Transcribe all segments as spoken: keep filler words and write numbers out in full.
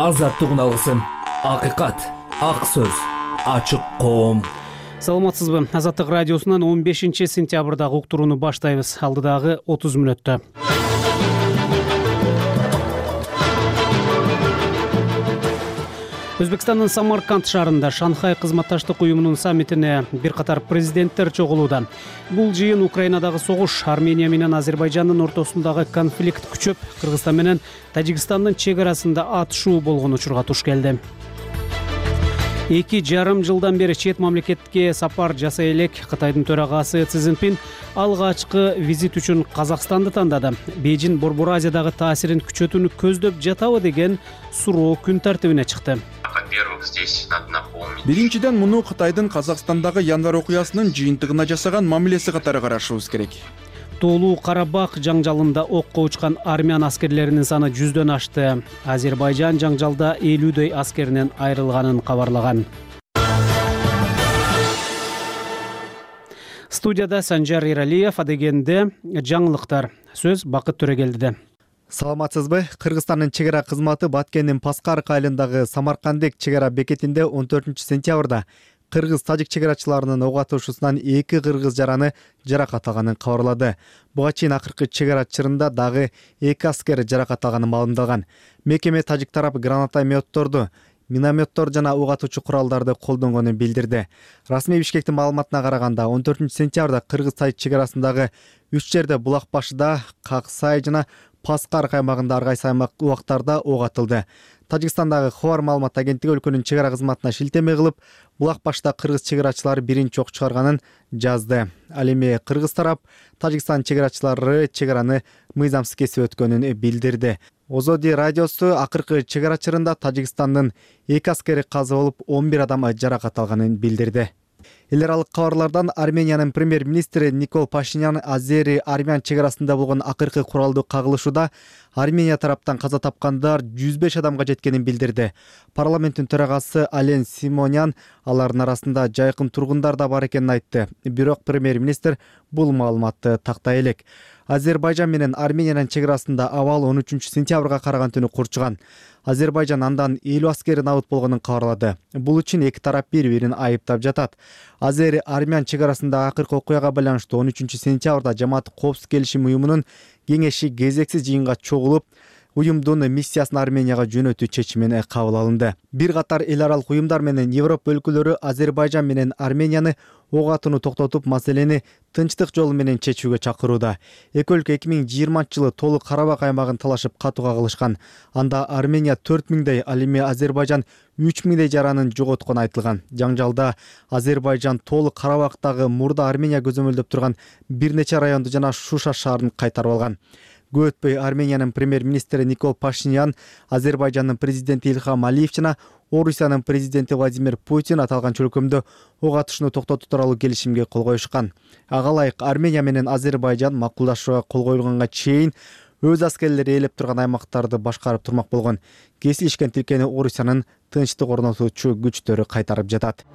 азаттык алгысын. Акыйкат, ак сөз, ачык коом. Саламатсызбы? Азаттык радиосунан он бешинчи сентябрдагы уктурууну баштайбыз. Алдыдагы отуз мүнөттө. Өзбекстандын Самарканд шаарында Шанхай кызматташтык уюмунун саммитине бир катар президенттер чогулууда. Бул жыйын Украинадагы согуш, Армения менен Азербайжандын ортосундагы конфликт күчөп, Кыргызстан менен Тажикстандын чек арасында атышуу болгон учурга туш келди. Эки жарым жылдан бери чет мамлекетке сапар жасай элек Кытайдын төрагасы Си Цзиньпин алгачкы визит үчүн Казакстанды тандады. Бейжин Борбор Азиядагы таасирин күчөтүүнү көздөп жатабы деген суроо күн тартибине чыкты. Биринчиден, муну Кытайдын Казакстандагы январь окуясынын жыйынтыгына жасаган мамилеси катары карашыбыз керек. Тоолуу Карабак жаңжалында окко учкан армян аскерлеринин саны жүздөн ашты. Азербайжан жаңжалда элүүдөй аскеринен айрылганын кабарлаган. Студияда Санжар Иралиев, адегенде жаңылыктар. Сөз Бакыт Төрөгелдиде. Саламатсызбы? Кыргызстандын чек ара кызматы Баткендин Паскарк айылындагы Самаркандек чек ара бекетинде он төртүнчү сентябрда кыргыз-тажик чек арачыларынын ок атышуусунан эки кыргыз жараны жаракат алганын кабарлады. Буга чейин акыркы чек ара чырында дагы эки аскер жаракат алганы маалымдалган. Мекеме тажик тарап гранатометторду, минометтор жана ок атуучу куралдарды колдонгонун билдирди. Расмий Бишкектин маалыматына караганда он төртүнчү сентябрда кыргыз-тажик чек арасындагы үч жерде Булак башыда, Каксай жана Паскарк аймагында ар кайсы аймак убактарда ок атылды. Тажикстандагы Хабар маалымат агенттиги өлкөнүн чек ара кызматына шилтеме кылып, Булак башта кыргыз чек арачылары биринчи ок чыгарганын жазды. Ал эми кыргыз тарап Тажикстан чек арачылары чек араны мыйзамсыз кесип өткөнүн билдирди. Озоди радиосу акыркы чек ара чырында Тажикстандын эки аскери каза болуп, он бир адам жаракат алганын билдирди. Эл аралык кабарлардан Армениянын премьер-министри Никол Пашинян Азери-армян чек арасында болгон акыркы куралдуу кагылышууда Армения тараптан каза тапкандар жүз беш адамга жеткенин билдирди. Парламенттин төрагасы Ален Симонян алардын арасында жайкын тургундар да бар экенин айтты. Бирок премьер-министр бул маалыматты тактай элек. Азербайжан менен Армениянын чек арасында абал он үчүнчү сентябрга караган түнү курчуган. Азербайжан андан элүү аскери набыт болгонун кабарлады. Бул үчүн эки тарап бири-бирин айыптап жатат. Азери-армян чек арасында акыркы окуяга байланыштуу он үчүнчү сентябрда Жамаат Коопсуздук келишим уюмунун кеңеши кезексиз жыйынга чогулуп, уюмдун миссиясын Арменияга жөнөтүү чечимин кабыл алынды. Бир катар эл аралык уюмдар менен Европа өлкөлөрү Азербайжан менен Арменияны ок атууну токтотуп, маселени тынчтык жолу менен чечүүгө чакырууда. Эки өлкө эки миң жыйырманчы жылы Тоолуу Карабак аймагын талашып катуу кагылышкан. Анда Армения төрт миңдей, ал эми Азербайжан үч миңдей жаранын жоготкону айтылган. Жаңжалда Азербайжан Тоолуу Карабактагы мурда Армения көзөмөлдөп турган бир нече районду жана Шуша шаарын кайтарып алган. Көп өтпөй Армениянын премьер-министри Никол Пашинян, Азербайжандын президенти Илхам Алиев жана Орусиянын президенти Владимир Путин аталган чөлкөмдө ок атышууну токтотуу тууралуу келишимге кол коюшкан. Ага ылайык Армения менен Азербайжан макулдашууга кол коюлганга чейин өз аскерлери ээлеп турган аймактарды башкарып турмак болгон. Кесилишкен тилкени Орусиянын тынчтык орнотуучу күчтөрү кайтарып жатат.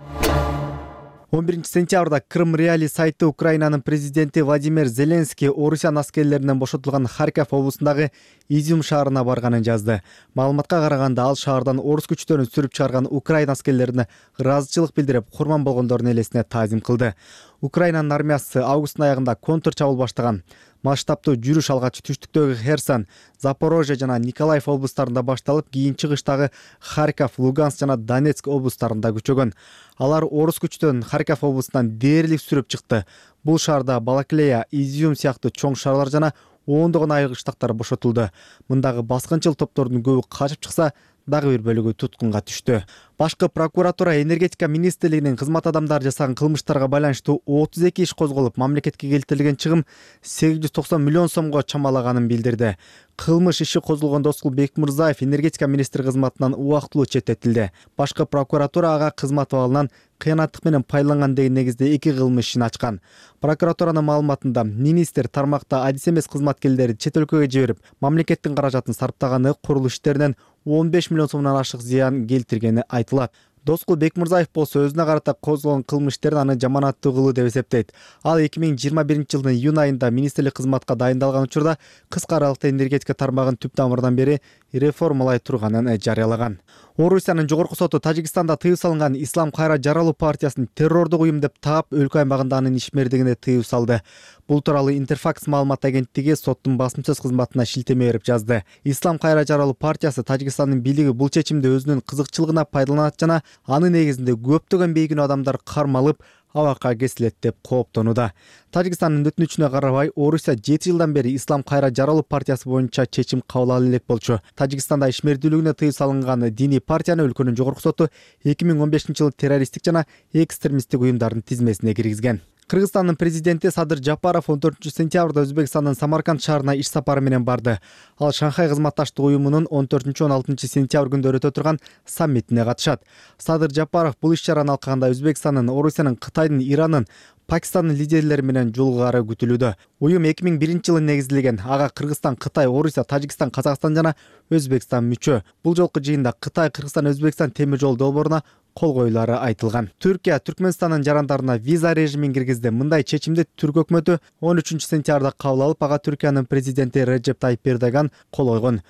он биринчи сентябрда Крым Реали сайты Украинанын президенти Владимир Зеленский Орусиян аскерлеринен бошотулган Харьков облусундагы Изюм шаарына барганын жазды. Маалыматка караганда ал шаардан орус күчтөрүн сүрүп чыгарган Украина аскерлерине ыраазычылык билдирип, курман болгондордун элесине таазим кылды. Украинанын армиясы августтун аягында контр чабуул баштаган. Масштабтуу жүрүш алгач түштүктөгү Херсон, Запорожье жана Николаев облустарында башталып, кийин чыгыштагы Харьков, Луганск жана Донецк облустарында күчөгөн. Алар орус күчтөрүн Харьков облусунан дээрлик сүрүп чыкты. Бул шаарда Балаклея, Изюм сыяктуу чоң шаарлар жана ондогон айылгычтактар бошотулду. Мындагы баскынчыл топтордун көбү качып чыкса, дагы бир бөлүгү туткунга түштү. Башкы прокуратура энергетика министрлигинин кызмат адамдары жасаган кылмыштарга байланыштуу отуз эки иш козголуп, мамлекетке келтирилген чыгым сегиз жүз токсон миллион сомго чамалаганын билдирди. Кылмыш иши козголгон Доскул Бекмырзаев энергетика министри кызматынан убактылуу четтетилди. Башкы прокуратура ага кызмат абалынан кыянаттык менен пайдаланган деген негизде эки кылмыш ишин ачкан. Прокуратуранын маалыматында министр тармакта адис эмес кызматкерлерди чет өлкөгө жиберип, мамлекеттин каражатын сарптаганы, курулуш иштеринен он беш миллион сомдон ашык зыян келтиргени айтылат. Доскул Бекмурзаев болсо өзүнө карата козголгон кылмыш иштерин аны жаманаттуу кылуу деп эсептейт. Ал эки миң жыйырма биринчи жылдын июнь айында министрлик кызматка дайындалган учурда кыска аралыкта энергетика тармагын түп тамырынан бери реформалай турганын жарыялаган. Орусиянын жогорку соту Тажикстанда тыюу салынган Ислам Кайра Жаралуу партиясын террордук уюм деп таап, өлкө аймагында анын ишмердигине тыюу салды. Бул тууралуу Интерфакс маалымат агенттиги соттун басым-сөз кызматына шилтеме берип жазды. Ислам Кайра Жаралуу партиясы Тажикстандын бийлиги бул чечимди өзүнүн кызыкчылыгына пайдаланат жана анын негизинде көптөгөн бейгүнөө адамдар кармалып, абакка кесилет деп кооптонууда. Тажикстандын өтүнүчүнө карабай, Орусия жети жылдан бери Ислам Кайра Жаралуу партиясы боюнча чечим кабыл ала элек болчу. Тажикстанда ишмердүүлүгүнө тыюу салынган диний партияны өлкөнүн жогорку соту эки миң он бешинчи жылы террористтик жана экстремисттик уюмдардын тизмесине киргизген. Кыргызстандын президенти Садыр Жапаров он төртүнчү сентябрда Өзбекстандын Самарканд шаарына иш сапары менен барды. Ал Шанхай кызматташтык уюмунун он төртүнчү он алтынчы сентябрь күндөрү өтө турган саммитине катышат. Садыр Жапаров бул иш чараны алкаганда Өзбекстандын, Орусиянын, Кытайдын, Ирандын, Пакистандын лидерлери менен жолугары күтүлүүдө. Уюм эки миң биринчи жылы негизилген. Ага Кыргызстан, Кытай, Орусия, Тажикстан, Казакстан жана Өзбекстан мүчө. Бул жолку жыйында Кытай, Кыргызстан, Өзбекстан темир жол долбооруна кол коюлары айтылган. Түркия Түркмөнстандын жарандарына виза режимин киргизди. Мындай чечимди Түрк өкмөтү он үчүнчү сентябрда кабыл алып, ага Түркиянын президенти Реджеп Тайип Эрдоган кол койгон.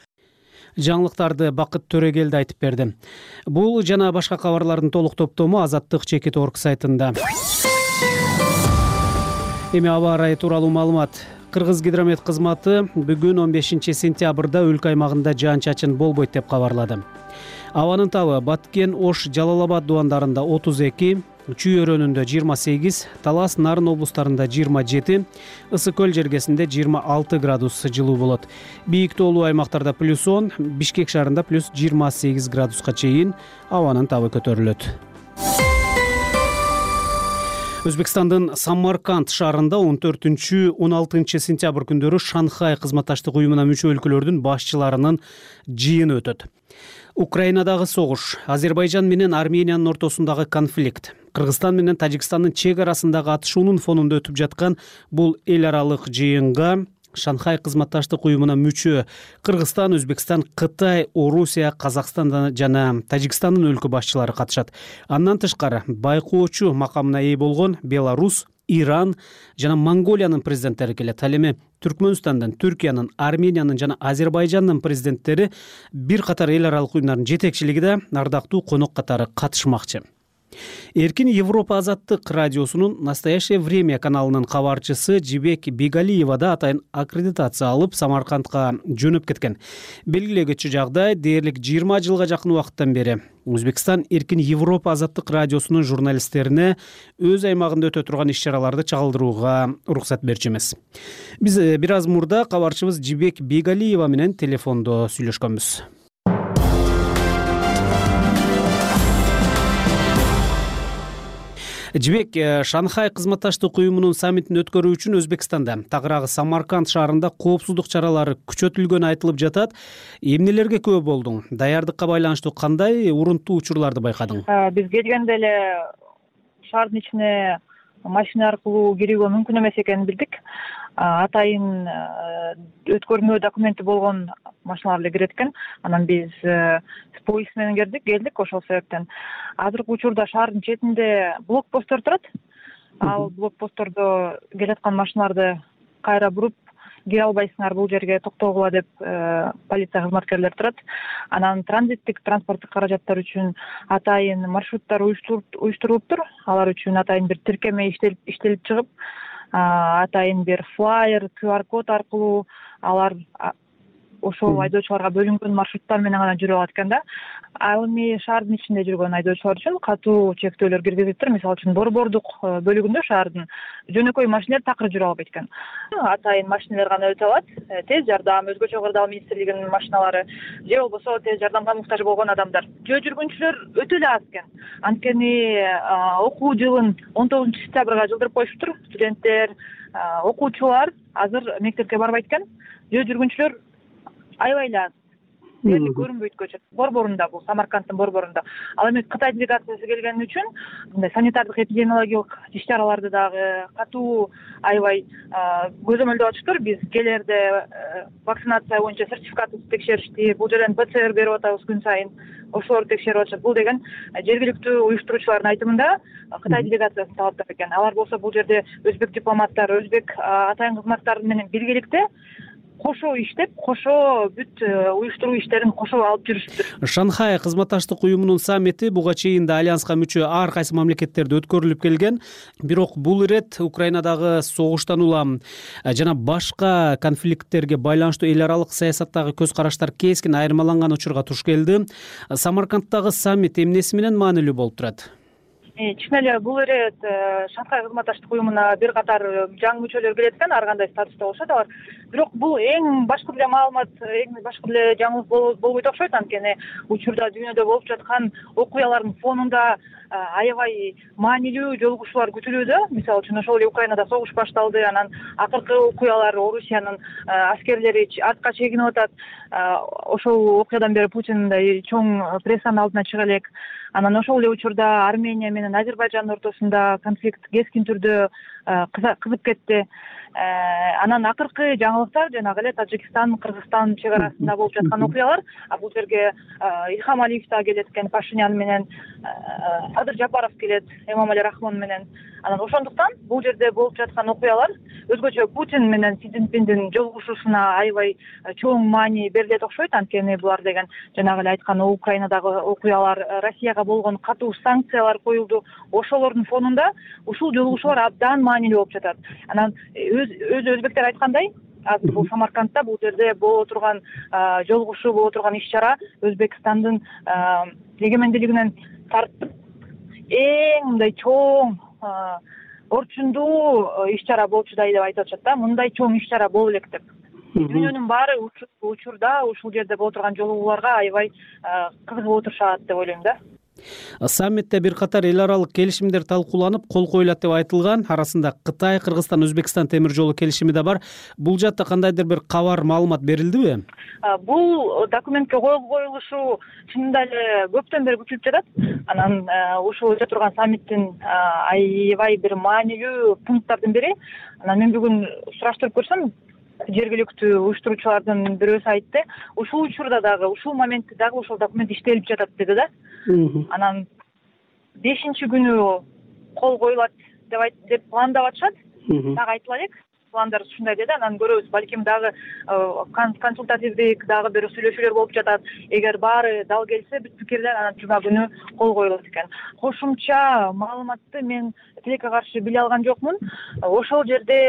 Жаңылыктарды Бакыт Төрөгелди айтып берди. Бул жана башка кабарлардын толук топтому Азаттык чекит точка орг сайтында. Эми аба ырайы тууралуу маалымат. Кыргыз гидромет кызматы бүгүн он бешинчи сентябрда өлкө аймагында жаан-чачын болбойт деп кабарлады. Абанын табы Баткен, Ош, Жалал-Абад дубандарында отуз эки, Чүй өрөөнүндө жыйырма сегиз, Талас, Нарын облустарында жыйырма жети, Ысык көл жергесинде жыйырма алты градус жылуу болот. Бийик тоолуу аймактарда плюс он, Бишкек шаарында плюс жыйырма сегиз градуска чейин абанын табы көтөрүлөт. Өзбекстандын Самарканд шаарында он төртүнчү он алтынчы сентябрь күндөрү Шанхай кызматташтык уюмуна мүчө өлкөлөрдүн башчыларынын жыйыны өтөт. Украинадагы согуш, Азербайжан менен Армениянын ортосундагы конфликт, Кыргызстан менен Тажикстандын чек арасындагы атышуунун фонунда өтүп жаткан бул эл аралык жыйынга Шанхай кызматташтык уюмуна мүчө Кыргызстан, Өзбекстан, Кытай, Орусия, Казакстан жана Тажикстандын өлкө башчылары катышат. Андан тышкары байкоочу макамына ээ болгон Беларусь, Иран жана Монголиянын президенттери келет. Ал эми Түркмөнстандын, Түркиянын, Армениянын жана Азербайжандын президенттери бир катар эл аралык уюмдардын жетекчилигиде ардактуу конок катары катышмакчы. Эркин Европа азаттык радиосунун Настоящее время каналынын кабарчысы Жибек Бигалиева да атайын аккредитация алып Самаркандка жөнөп кеткен. Белгилегичи жагдай дээрлик жыйырма жылга жакын убакыттан бери Өзбекстан Эркин Европа азаттык радиосунун журналисттерине өз аймагында өтө турган иш-чараларды чагылдырууга уруксат берчү эмес. Биз бир аз мурда кабарчыбыз Жибек Бигалиева менен телефондо сүйлөшкөнбүз. Жибек, Шанхай кызматташтык уюмунун саммитин өткөрүү үчүн Өзбекстанда тагыраагы Самарканд шаарында коопсуздук чаралары күчөтүлгөнү айтылып жатат. Эмнелерге күбө болдуң? Даярдыкка байланыштуу кандай урунттуу учурларды байкадың? Биз келгенде эле шаардын ичине машина аркылуу кирүүгө мүмкүн эмес экенин билдик. Атайын өткөрмө документи болгон машиналар эле кирет экен. Анан биз поезд менен келдик, келдик ошол себептен. Азыркы учурда шаардын четинде блокпосттор турат. Ал блокпосттордо келаткан машиналарды кайра буруп, кире албайсыңар бул жерге токтогула деп полиция кызматкерлери турат. Анан транзиттик транспорттук каражаттар үчүн атайын маршруттар уюштурулуптур. Алар үчүн атайын бир тиркеме иштелип иштелип чыгып, атайын бир флайер, ку ар код аркылуу алар ошол айдоочуларга бөлүнгөн маршруттар менен гана жүрө алат экен да. Ал эми шаардын ичинде жүргөн айдоочулар үчүн катуу чектөөлөр киргизилиптир. Мисалы үчүн борбордук бөлүгүндө шаардын жөнөкөй машиналар такыр жүрө албайт экен. Атайын машиналар гана өтө алат. Тез жардам, өзгөчө кырдаал министрлигинин машиналары же болбосо тез жардамга муктаж болгон адамдар. Жөө жүргүнчүлөр өтө эле аз экен. Анткени окуу жылын он тогузунчу сентябрга жылдырып коюшуптур. Студенттер, окуучулар азыр мектепке барбайт экен. Жөө жүргүнчүлөр аябай эле аз. дээрлик көрүнбөйт көчөт. Борборунда, бул Самаркандтын борборунда. Ал эми Кытай делегациясы келгени үчүн мындай санитардык эпидемиологиялык иш-чараларды дагы катуу аябай көзөмөлдөп атышыптыр. Биз келерде вакцинация боюнча сертификатыбызды текшеришти. Бул жерден ПЦР берип атабыз күн сайын. Ошолорду текшерип атышат. Бул деген жергиликтүү уюштуруучулардын айтымында Кытай делегациясынын талаптары экен. Алар болсо бул жерде өзбек дипломаттары, өзбек атайын кызматтары менен биргеликте кошо иштеп, кошо бүт уюштуруу иштерин кошо алып жүрүшүптүр. Шанхай кызматташтык уюмунун саммити буга чейин да альянска мүчө ар кайсы мамлекеттерде өткөрүлүп келген. Бирок бул ирет Украинадагы согуштан улам жана башка конфликттерге байланыштуу эл аралык саясаттагы көз караштар кескин айырмаланган учурга туш келди. Самаркандтагы саммит эмнеси менен маанилүү болуп турат? Чын эле бул ирет Шанхай кызматташтык уюмуна бир катар жаңы мүчөлөр келет экен, ар кандай статуста болушат алар. Бирок бул эң башкы эле маалымат, эң башкы эле жаңылык болбойт окшойт, анткени учурда дүйнөдө болуп жаткан окуялардын фонунда аябай маанилүү жолугушуулар күтүлүүдө. Мисалы үчүн ошол эле Украинада согуш башталды, анан акыркы окуялар Орусиянын аскерлери артка чегинип атат. Ошол окуядан бери Путин мындай чоң прессанын алдына чыга элек. Анан ошол эле учурда Армения менен Азербайжандын ортосунда конфликт кескин түрдө кызып кетти. Анан акыркы жаңылыктар жанагы эле Тажикстан, Кыргызстан чек арасында болуп жаткан окуялар. Бул жерге Илхам Алиев да келет экен, Пашинян менен, Садыр Жапаров келет, Эмомали Рахмон менен. Анан ошондуктан бул жерде болуп жаткан окуялар өзгөчө Путин менен Си Цзиньпиндин жолугушуусуна аябай чоң маани берилет окшойт, анткени булар деген жанагы эле айткан Украинадагы окуялар, Россияга болгон катуу санкциялар коюлду. Ошолордун фонунда ушул жолугушуулар абдан маанилүү болуп жатат. Анан өз өзбектер айткандай, азыр бул Самаркандта бул жерде боло турган жолугушуу, боло турган иш-чара Өзбекстандын эгемендүүлүгүнөн тартып эң мындай чоң орчундуу иш-чара болчудай деп айтып атышат да. Мындай чоң иш-чара боло элек деп. Дүйнөнүн баары учурда ушул жерде боло турган жолугууларга аябай кызыгып отурушат деп ойлойм да. Саммитте бир катар эл аралык келишимдер талкууланып, кол коюлат деп айтылган. Арасында Кытай, Кыргызстан, Өзбекстан темир жолу келишими да бар. Бул жакта кандайдыр бир кабар, маалымат берилдиби? Бул документке кол коюлушу чынында эле көптөн бери күтүлүп жатат. Анан ушул өтө турган саммиттин аябай бир маанилүү пункттардын бири. Анан мен бүгүн сураштырып көрсөм, жергиликтүү уюштуруучулардын бирөөсү айтты, ушул учурда дагы, ушул моментте дагы ошол документ иштелип жатат деди да. Анан бешинчи күнү кол коюлат деп деп пландап атышат. Дагы айтыла элек. Пландар ушундай деди. Анан көрөбүз, балким дагы консультативдик дагы бир сүйлөшүүлөр болуп жатат. Эгер баары дал келсе, бүт пикирлер, анан жума күнү кол коюлат экен. Кошумча маалыматты мен тилекке каршы биле алган жокмун. Ошол жерде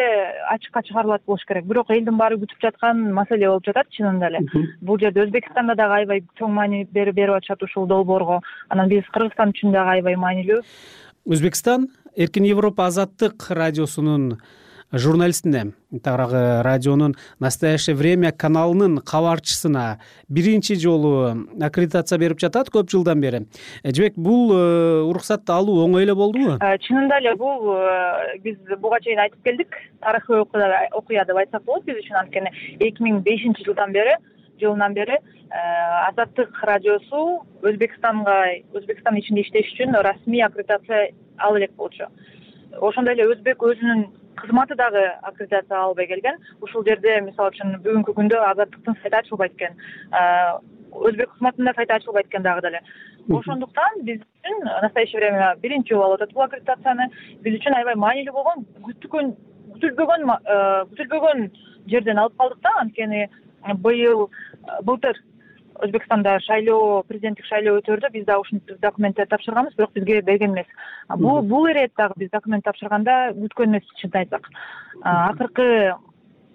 ачыкка чыгарылат болуш керек. Бирок элдин баары күтүп жаткан маселе болуп жатат чынында эле. Бул жерде Өзбекстанда дагы аябай чоң маани берип берип атышат ушул долбоорго. Анан биз Кыргызстан үчүн дагы аябай маанилүү. Өзбекстан Эркин Европа Азаттык радиосунун журналистине, тагыраагы радионун Настоящее время каналынын кабарчысына биринчи жолу аккредитация берип жатат көп жылдан бери. Жебек, бул уруксатты алуу оңой эле болдубу? Чынында эле бул биз буга чейин айтып келдик. Тарыхый окуя деп айтсак болот биз үчүн, анткени эки миң бешинчи жылдан бери жылынан бери Азаттык радиосу Өзбекстанга, Өзбекстан ичинде иштеш үчүн расмий аккредитация алып элек болчу. Ошондой эле Өзбек өзүнүн кызматы дагы аккредитация албай келген. Ушул жерде мисалы үчүн бүгүнкү күндө Азаттыктын сайты ачылбайт экен. Өзбек кызматында сайты ачылбайт экен дагы деле. Ошондуктан биз үчүн Настоящее время биринчи жолу алып атат бул аккредитацияны. Биз үчүн аябай маанилүү болгон, күтүлгөн күтүлбөгөн күтүлбөгөн жерден алып калдык да, анткени быйыл былтыр Өзбекстанда шайлоо, президенттик шайлоо өтөрдү. Биз дагы ушул документти тапшырганбыз, бирок бизге берген эмес. Бул бул ирет дагы биз документ тапшырганда күткөн эмес, чынын айтсак. Акыркы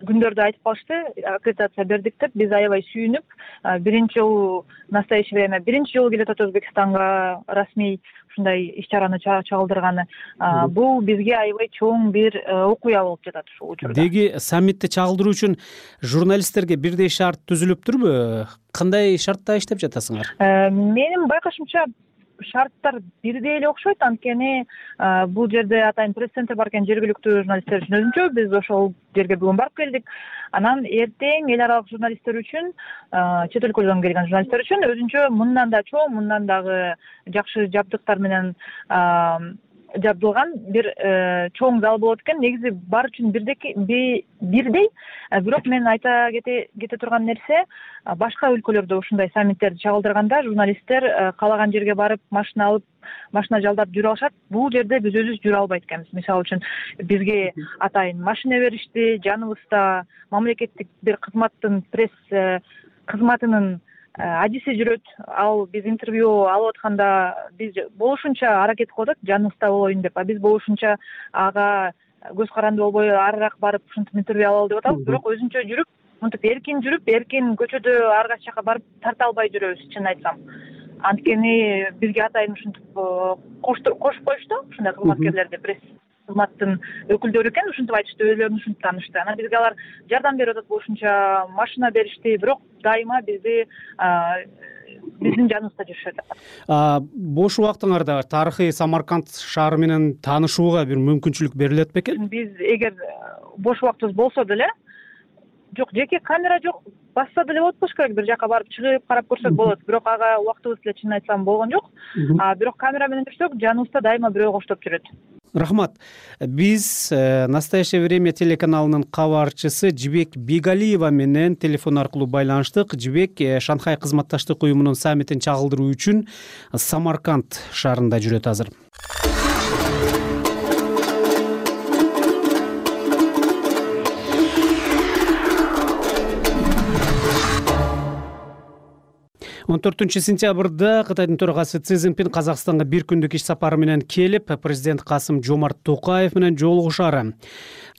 күндөрдө айтып калышты, аккредитация бердик деп. Биз аябай сүйүнүп, биринчи жолу Настоящее время биринчи жолу келет Өзбекстанга расмий ушундай иш-чараны чагылдырганы. Бул бизге аябай чоң бир окуя болуп жатат ушул учурда. Деги саммитти чагылдыруу үчүн журналисттерге бирдей шарт түзүлүптүрбү? Кандай шартта иштеп жатасыңар? Менин байкашымча шарттар бирдей эле окшойт, анткени бул жерде атайын пресс-центр бар экен, жергиликтүү журналисттер үчүн өзүнчө. Биз ошол жерге бүгүн барып келдик. Анан эртең эл аралык журналисттер үчүн, чет өлкөлөрдөн келген журналисттер үчүн өзүнчө мындан да чоң, мындан дагы жакшы жабдыктар менен жабдылган бир чоң зал болот экен. Негизи бар үчүн бирдей, бирок мен айта кете турган нерсе, башка өлкөлөрдө ушундай саммиттерди чагылдырганда журналисттер каалаган жерге барып машина алып, машина жалдап жүрө алышат. Бул жерде биз өзүбүз жүрө албайт экенбиз. Мисалы үчүн бизге атайын машина беришти, жаныбызда мамлекеттик бир кызматтын пресс кызматынын адиси жүрөт. Ал биз интервью алып атканда биз болушунча аракет кылып атат, жаныбызда болоюн деп. А биз болушунча ага көз каранды болбой арыраак барып ушинтип интервью алалы деп атабыз. Бирок өзүнчө жүрүп, мынтип эркин жүрүп, эркин көчөдө ар кайсы жака барып тарта албай жүрөбүз, чын айтсам. Анткени бизге атайын ушинтип кошуп коюшту, ушундай кызматкерлерди, пресс кызматтын өкүлдөрү экен, ушинтип айтышты, өзүлөрүн ушинтип таанышты. Анан бизге алар жардам берип атат, болушунча машина беришти, бирок дайыма бизди биздин жаныбызда жүрүшөт. Бош убактыңарда тарыхый Самарканд шаары менен таанышууга бир мүмкүнчүлүк берилет бекен? Биз эгер бош убактыбыз болсо деле, жок, жеке камера жок, басса деле болот болуш керек, бир жака барып чыгып карап көрсөк болот. Бирок ага убактыбыз деле чын айтсам болгон жок. А бирок камера менен жүрсөк, жаныбызда дайыма бирөө коштоп жүрөт. Рахмат. Биз «Настоящее время» телеканалынын кабарчысы Жибек Бигалиева менен телефон аркылуу байланыштык. Жибек Шанхай кызматташтык уюмунун саммитин чагылдыруу үчүн Самарканд шаарында жүрөт азыр. он төртүнчү сентябрда Кытайдын төрагасы Си Цзиньпин Казакстанга бир күндүк иш сапары менен келип, президент Касым Жомарт Токаев менен жолугушары.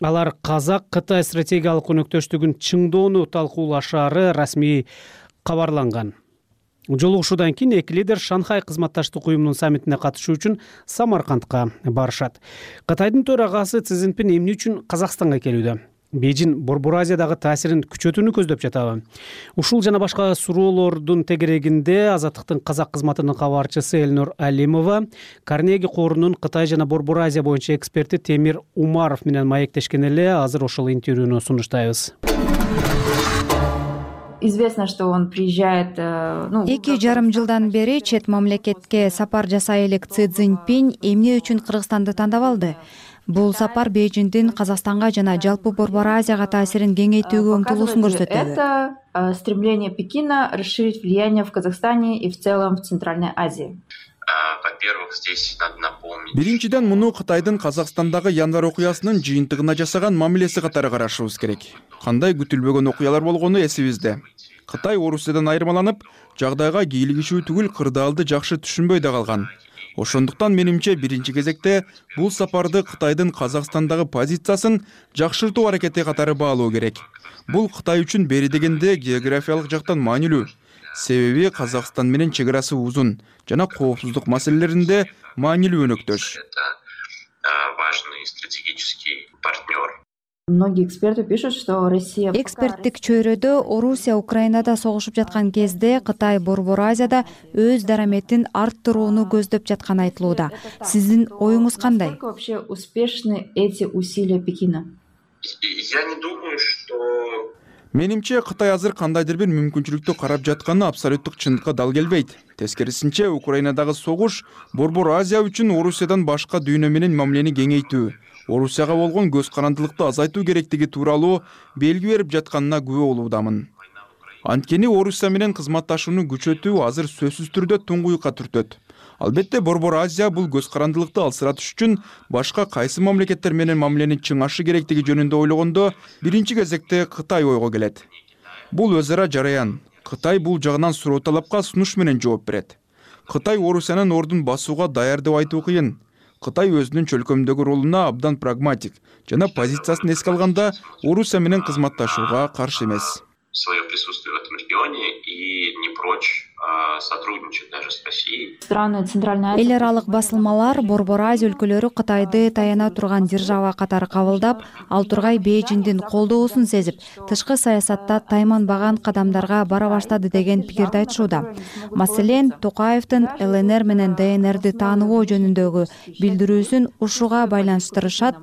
Алар Казак-Кытай стратегиялык өнөктөштүгүн чыңдоону талкуулашары расмий кабарланган. Жолугушуудан кийин эки лидер Шанхай кызматташтык уюмунун саммитине катышуу үчүн Самаркандка барышат. Кытайдын төрагасы Си Цзиньпин эмне үчүн Казакстанга келүүдө? Бейжин Борбор Азиядагы таасирин күчөтүүнү көздөп жатабы? Ушул жана башка суроолордун тегерегинде Азаттыктын казак кызматынын кабарчысы Элнур Алимова Карнеги корунун Кытай жана Борбор Азия боюнча эксперти Темир Умаров менен маектешкен эле. Азыр ошол интервьюну сунуштайбыз. Известно, что он приезжает. Эки жарым жылдан бери чет мамлекетке сапар жасай элек Си Цзиньпин эмне үчүн Кыргызстанды тандап алды? Бул сапар Бейжиңдин Казакстанга жана жалпы Борбор Азияга таасирин кеңейтүүгө умтулуусун көрсөтөт. Это стремление Пекина расширить влияние в Казахстане и в целом в Центральной Азии. Во-первых, здесь надо напомнить. Биринчиден, муну Кытайдын Казакстандагы январь окуясынын жыйынтыгына жасаган мамилеси катары карашыбыз керек. Кандай күтүлбөгөн окуялар болгону эсибизде. Кытай Орусиядан айырмаланып, жагдайга кийлигишүү түгүл кырдаалды жакшы түшүнбөй да калган. Ошондуктан менимче биринчи кезекте бул сапарды Кытайдын Казакстандагы позициясын жакшыртуу аракети катары баалоо керек. Бул Кытай үчүн бери дегенде географиялык жактан маанилүү. Себеби Казакстан менен чек-арасы узун жана коопсуздук маселелеринде маанилүү өнөктөш. Это важный стратегический партнер. Многие эксперты пишут, что Россия... Эксперттик чөйрөдө Орусия Украинада согушуп жаткан кезде Кытай Борбор Азияда өз дараметин арттырууну көздөп жатканы айтылууда. Сиздин оюңуз кандай? Насколько вообще успешны эти усилия Пекина? Я не думаю, что... Менимче Кытай азыр кандайдыр бир мүмкүнчүлүктү карап жатканы абсолюттук чындыкка дал келбейт. Тескерисинче, Украинадагы согуш Борбор Азия үчүн Орусиядан башка дүйнө менен мамилени кеңейтүү, Орусияга болгон көз карандылыкты азайтуу керектиги тууралуу белги берип жатканына күбө болуудамын. Анткени Орусия менен кызматташууну күчөтүү азыр сөзсүз түрдө туңгуюкка түртөт. Албетте Борбор Азия бул көз карандылыкты алсыратыш үчүн башка кайсы мамлекеттер менен мамилени чыңашы керектиги жөнүндө ойлогондо биринчи кезекте Кытай ойго келет. Бул өз ара жараян. Кытай бул жагынан суроо талапка сунуш менен жооп берет. Кытай Орусиянын ордун басууга даяр деп айтуу кыйын. Кытай өзүнүн чөлкөмдөгү ролуна абдан прагматик жана позициясын эске алганда Орусия менен кызматташууга каршы эмес. Свое присутствие в этом регионе и не прочь сотрудничать даже с Россией. Страны Центральной Азии. Эл аралык басылмалар Борбор Азия өлкөлөрү Кытайды таяна турган держава катары кабылдап, ал тургай Бейжиңдин колдоосун сезип, тышкы саясатта тайманбаган кадамдарга бара баштады деген пикирди айтышууда. Маселен, Токаевдин эл эн эр менен дэ эн эрди тааныбоо жөнүндөгү билдирүүсүн ушуга байланыштырышат.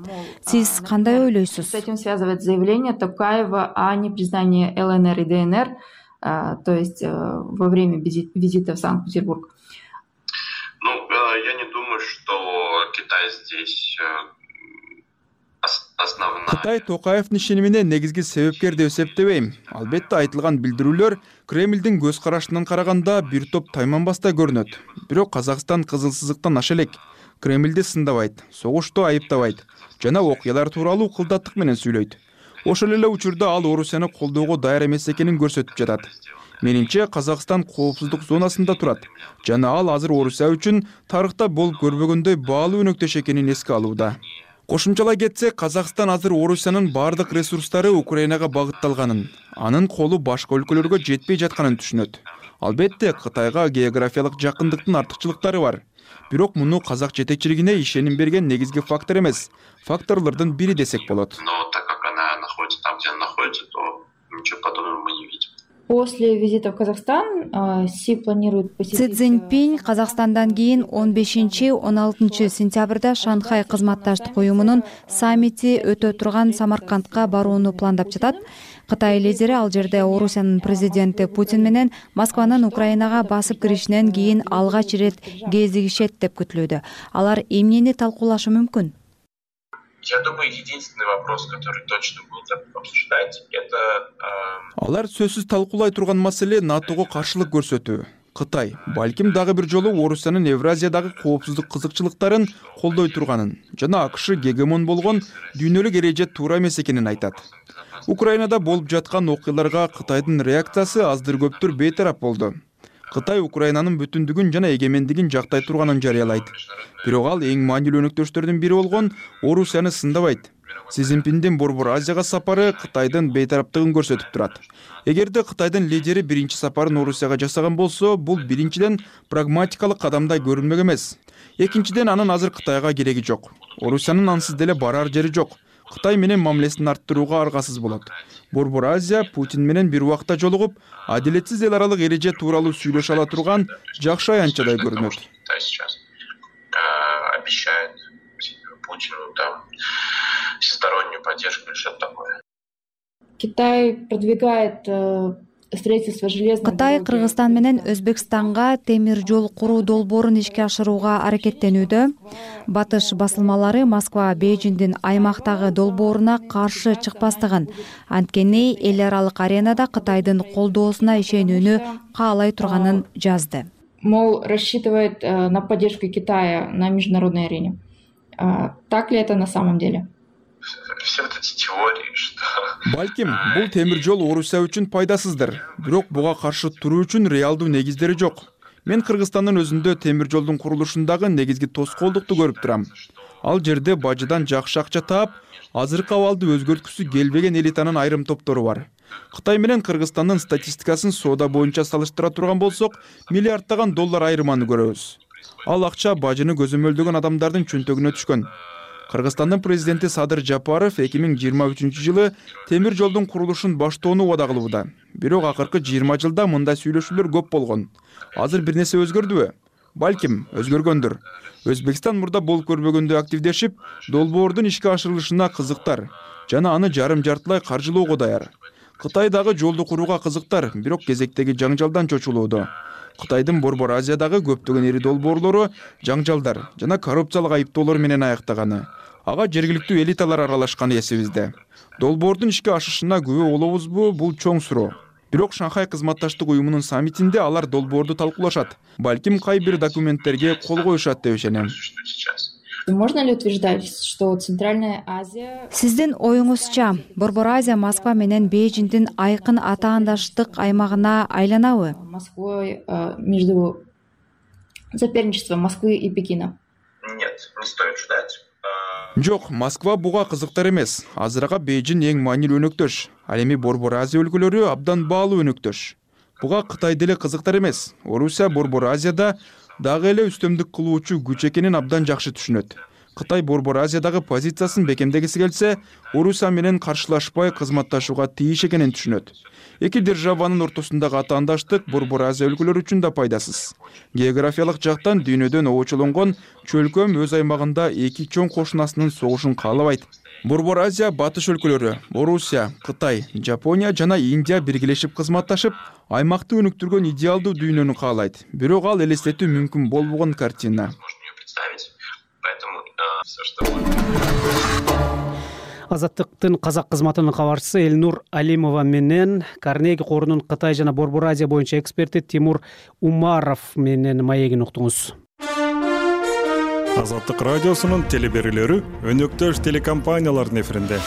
Сиз кандай ойлойсуз? С этим связывает заявление Токаева о непризнании эл эн эр и дэ эн эр, то есть во время визита в Санкт-Петербург. Ну, я не думаю, что Китай здесь основная. Кытай Токаевдин ишенимине негизги себепкер деп эсептебейм. Албетте айтылган билдирүүлөр Кремлдин көз карашынан караганда бир топ тайманбастай көрүнөт. Бирок Казакстан кызыл сызыктан аша элек. Кремлди сындабайт, согушту айыптабайт жана окуялар тууралуу кылдаттык менен сүйлөйт. Ошол эле учурда ал Орусияны колдоого даяр эмес экенин көрсөтүп жатат. Менимче Казакстан коопсуздук зонасында турат жана ал азыр Орусия үчүн тарыхта болуп көрбөгөндөй баалуу өнөктөш экенин эске алууда. Кошумчалай кетсек, Казакстан азыр Орусиянын бардык ресурстары Украинага багытталганын, анын колу башка өлкөлөргө жетпей жатканын түшүнөт. Албетте, Кытайга географиялык жакындыктын артыкчылыктары бар. Бирок муну казак жетекчилигине ишеним берген негизги фактор эмес, факторлордун бири десек болот. Но так как она находится там, где она находится, то ничего подобного мы не видим. После визита в Казахстан Си планирует посетить... Си Цзиньпинь Казакстандан кийин он бешинчи — он алтынчы сентябрда Шанхай кызматташтык уюмунун саммити өтө турган Самаркандка барууну пландап жатат. Кытай лидери ал жерде Орусиянын президенти Путин менен Москванын Украинага басып киришинен кийин алгач ирет кезигишет деп күтүлүүдө. Алар эмнени талкуулашы мүмкүн? Я думаю, единственный вопрос, который точно будут обсуждать, это... Алар сөзсүз талкуулай турган маселе НАТОго каршылык көрсөтүү. Кытай балким дагы бир жолу Орусиянын Евразиядагы коопсуздук кызыкчылыктарын колдой турганын жана АКШ гегемон болгон дүйнөлүк эреже туура эмес экенин айтат. Украинада болуп жаткан окуяларга Кытайдын реакциясы аздыр көптүр бейтарап болду. Кытай Украинанын бүтүндүгүн жана эгемендигин жактай турганын жарыялайт. Бирок ал эң маанилүү өнөктөштөрдүн бири болгон Орусияны сындабайт. Си Цзиньпиндин Борбор Азияга сапары Кытайдын бейтараптыгын көрсөтүп турат. Эгерде Кытайдын лидери биринчи сапарын Орусияга жасаган болсо, бул биринчиден прагматикалык кадамдай көрүнмөк эмес. Экинчиден, анын азыр Кытайга кереги жок. Орусиянын ансыз деле барар жери жок. Кытай менен мамилесин арттырууга аргасыз болот. Борбор Азия Путин менен бир убакта жолугуп, адилетсиз эл аралык эреже тууралуу сүйлөшө ала турган жакшы аянтчадай көрүнөт. Сейчас обещает Путину там всестороннюю поддержку или что-то такое. Китай продвигает строительство железной дороги. Кытай Кыргызстан менен Өзбекстанга темир жол куруу долбоорун ишке ашырууга аракеттенүүдө. Батыш басылмалары Москва Бейжиңдин аймактагы долбооруна каршы чыкпастыгын, анткени эл аралык аренада Кытайдын колдоосуна ишенүүнү каалай турганын жазды. Мол, рассчитывает на поддержку Китая на международной арене. Так ли это на самом деле? Все вот эти теории, что... Балким, бул темир жол Орусия үчүн пайдасыздыр. Бирок буга каршы туруу үчүн реалдуу негиздери жок. Мен Кыргызстандын өзүндө темир жолдун курулушундагы негизги тоскоолдукту көрүп турам. Ал жерде бажыдан жакшы акча таап, азыркы абалды өзгөрткүсү келбеген элитанын айрым топтору бар. Кытай менен Кыргызстандын статистикасын соода боюнча салыштыра турган болсок, миллиарддаган доллар айырманы көрөбүз. Ал акча бажыны көзөмөлдөгөн адамдардын чөнтөгүнө түшкөн. Кыргызстандын президенти Садыр Жапаров эки миң жыйырма үчүнчү жылы темир жолдун курулушун баштоону убада кылууда. Бирок акыркы жыйырма жылда мындай сүйлөшүүлөр көп болгон. Азыр бир нерсе өзгөрдүбү? Балким, өзгөргөндүр. Өзбекстан мурда болуп көрбөгөндөй активдешип, долбоордун ишке ашырылышына кызыктар жана аны жарым-жартылай каржылоого даяр. Кытай дагы жолду курууга кызыктар, бирок кезектеги жаңжалдан чочулууда. Кытайдын Борбор Азиядагы көптөгөн ири долбоорлору жаңжалдар жана коррупциялык айыптоолор менен аяктаганы. Ага жергиликтүү элиталар аралашканы эсибизде. Долбоордун ишке ашышына күбө болобузбу, бул чоң суроо. Бирок Шанхай кызматташтык уюмунун саммитинде алар долбоорду талкуулашат. Балким кай бир документтерге кол коюшат деп ишенем. Можно ли утверждать, что Центральная Азия... Сиздин оюңузча, Борбор Азия Москва менен Бейжиңдин айкын атаандаштык аймагына айланабы? Москвой между соперничеством Москвы и Пекина. Нет, не стоит ждать. Жок, Москва буга кызыктар эмес. Азырага Бейжиң эң маанилүү өнөктөш. Ал эми Борбор Азия өлкөлөрү абдан баалуу өнөктөш. Буга Кытай деле кызыктар эмес. Орусия Борбор Азияда дагы эле үстөмдүк кылуучу күч экенин абдан жакшы түшүнөт. Кытай Борбор Азиядагы позициясын бекемдегиси келсе, Орусия менен каршылашпай кызматташууга тийиш экенин түшүнөт. Эки державанын ортосундагы атаандаштык Борбор Азия өлкөлөрү үчүн да пайдасыз. Географиялык жактан дүйнөдөн обочолонгон чөлкөм өз аймагында эки чоң кошунасынын согушун каалабайт. Борбор Азия батыш өлкөлөрү Орусия, Кытай, Жапония жана Индия биргелешип кызматташып, аймакты өнүктүргөн идеалдуу дүйнөнү каалайт. Бирок ал элестетүү мүмкүн болбогон картина. Азаттыктын казак кызматынын кабарчысы Элнур Алимова менен Карнеги корунун Кытай жана Борбор Азия боюнча эксперти Тимур Умаров менен маегин уктуңуз. Азаттык радиосунун телеберүүлөрү өнөктөш телекомпаниялардын эфиринде.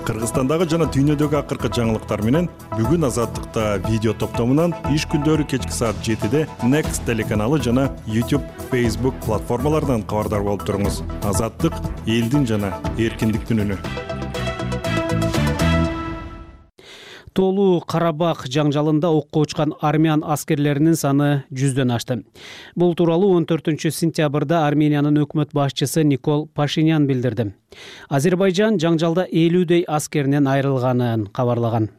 Кыргызстандагы жана дүйнөдөгү акыркы жаңылыктар менен бүгүн Азаттыкта видео топтомунан иш күндөрү кечки саат жетиде Next телеканалы жана YouTube, Facebook платформаларынан кабардар болуп туруңуз. Азаттык — элдин жана эркиндиктин үнү. Тоолуу Карабак жаңжалында окко учкан армян аскерлеринин саны жүздөн ашты. Бул тууралуу он төртүнчү сентябрда Армениянын өкмөт башчысы Никол Пашинян билдирди. Азербайжан жаңжалда элүүдөй аскеринен айрылганын кабарлаган.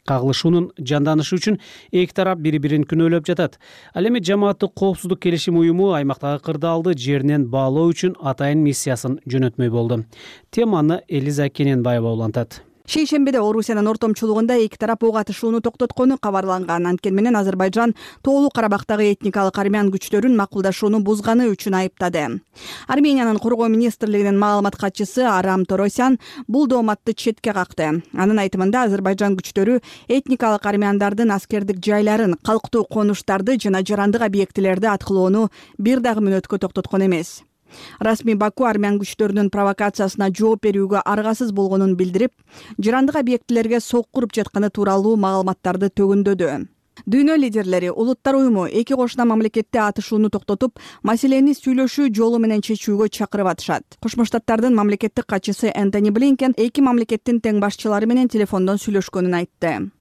Кагылышуунун жанданышы үчүн эки тарап бири-бирин күнөөлөп жатат. Ал эми жамааттык коопсуздук келишим уюму аймактагы кырдаалды жеринен баалоо үчүн атайын миссиясын жөнөтмөй болду. Теманы Элиза Кененбаева улантат. Шейшембиде Орусиянын ортомчулугунда эки тарап ок атышууну токтоткону кабарланган. Анткени менен Азербайжан Тоолуу Карабактагы этникалык армян күчтөрүн макулдашууну бузганы үчүн айыптады. Армениянын коргоо министрлигинин маалымат катчысы Арам Торосян бул дооматты четке какты. Анын айтымында Азербайжан күчтөрү этникалык армяндардын аскердик жайларын, калктуу конуштарды жана жарандык объектилерди аткылоону бир дагы мүнөткө токтоткон эмес. Расмий Баку армян күчтөрүнүн провокациясына жооп берүүгө аргасыз болгонун билдирип, жарандык объектилерге сокку уруп жатканы тууралуу маалыматтарды төгүндөдү. Дүйнө лидерлери Улуттар уюму эки кошуна мамлекетте атышууну токтотуп, маселени сүйлөшүү жолу менен чечүүгө чакырып атышат. Кошмо Штаттардын мамлекеттик катчысы Энтони Блинкен эки мамлекеттин тең башчылары менен телефондон сүйлөшкөнүн айтты.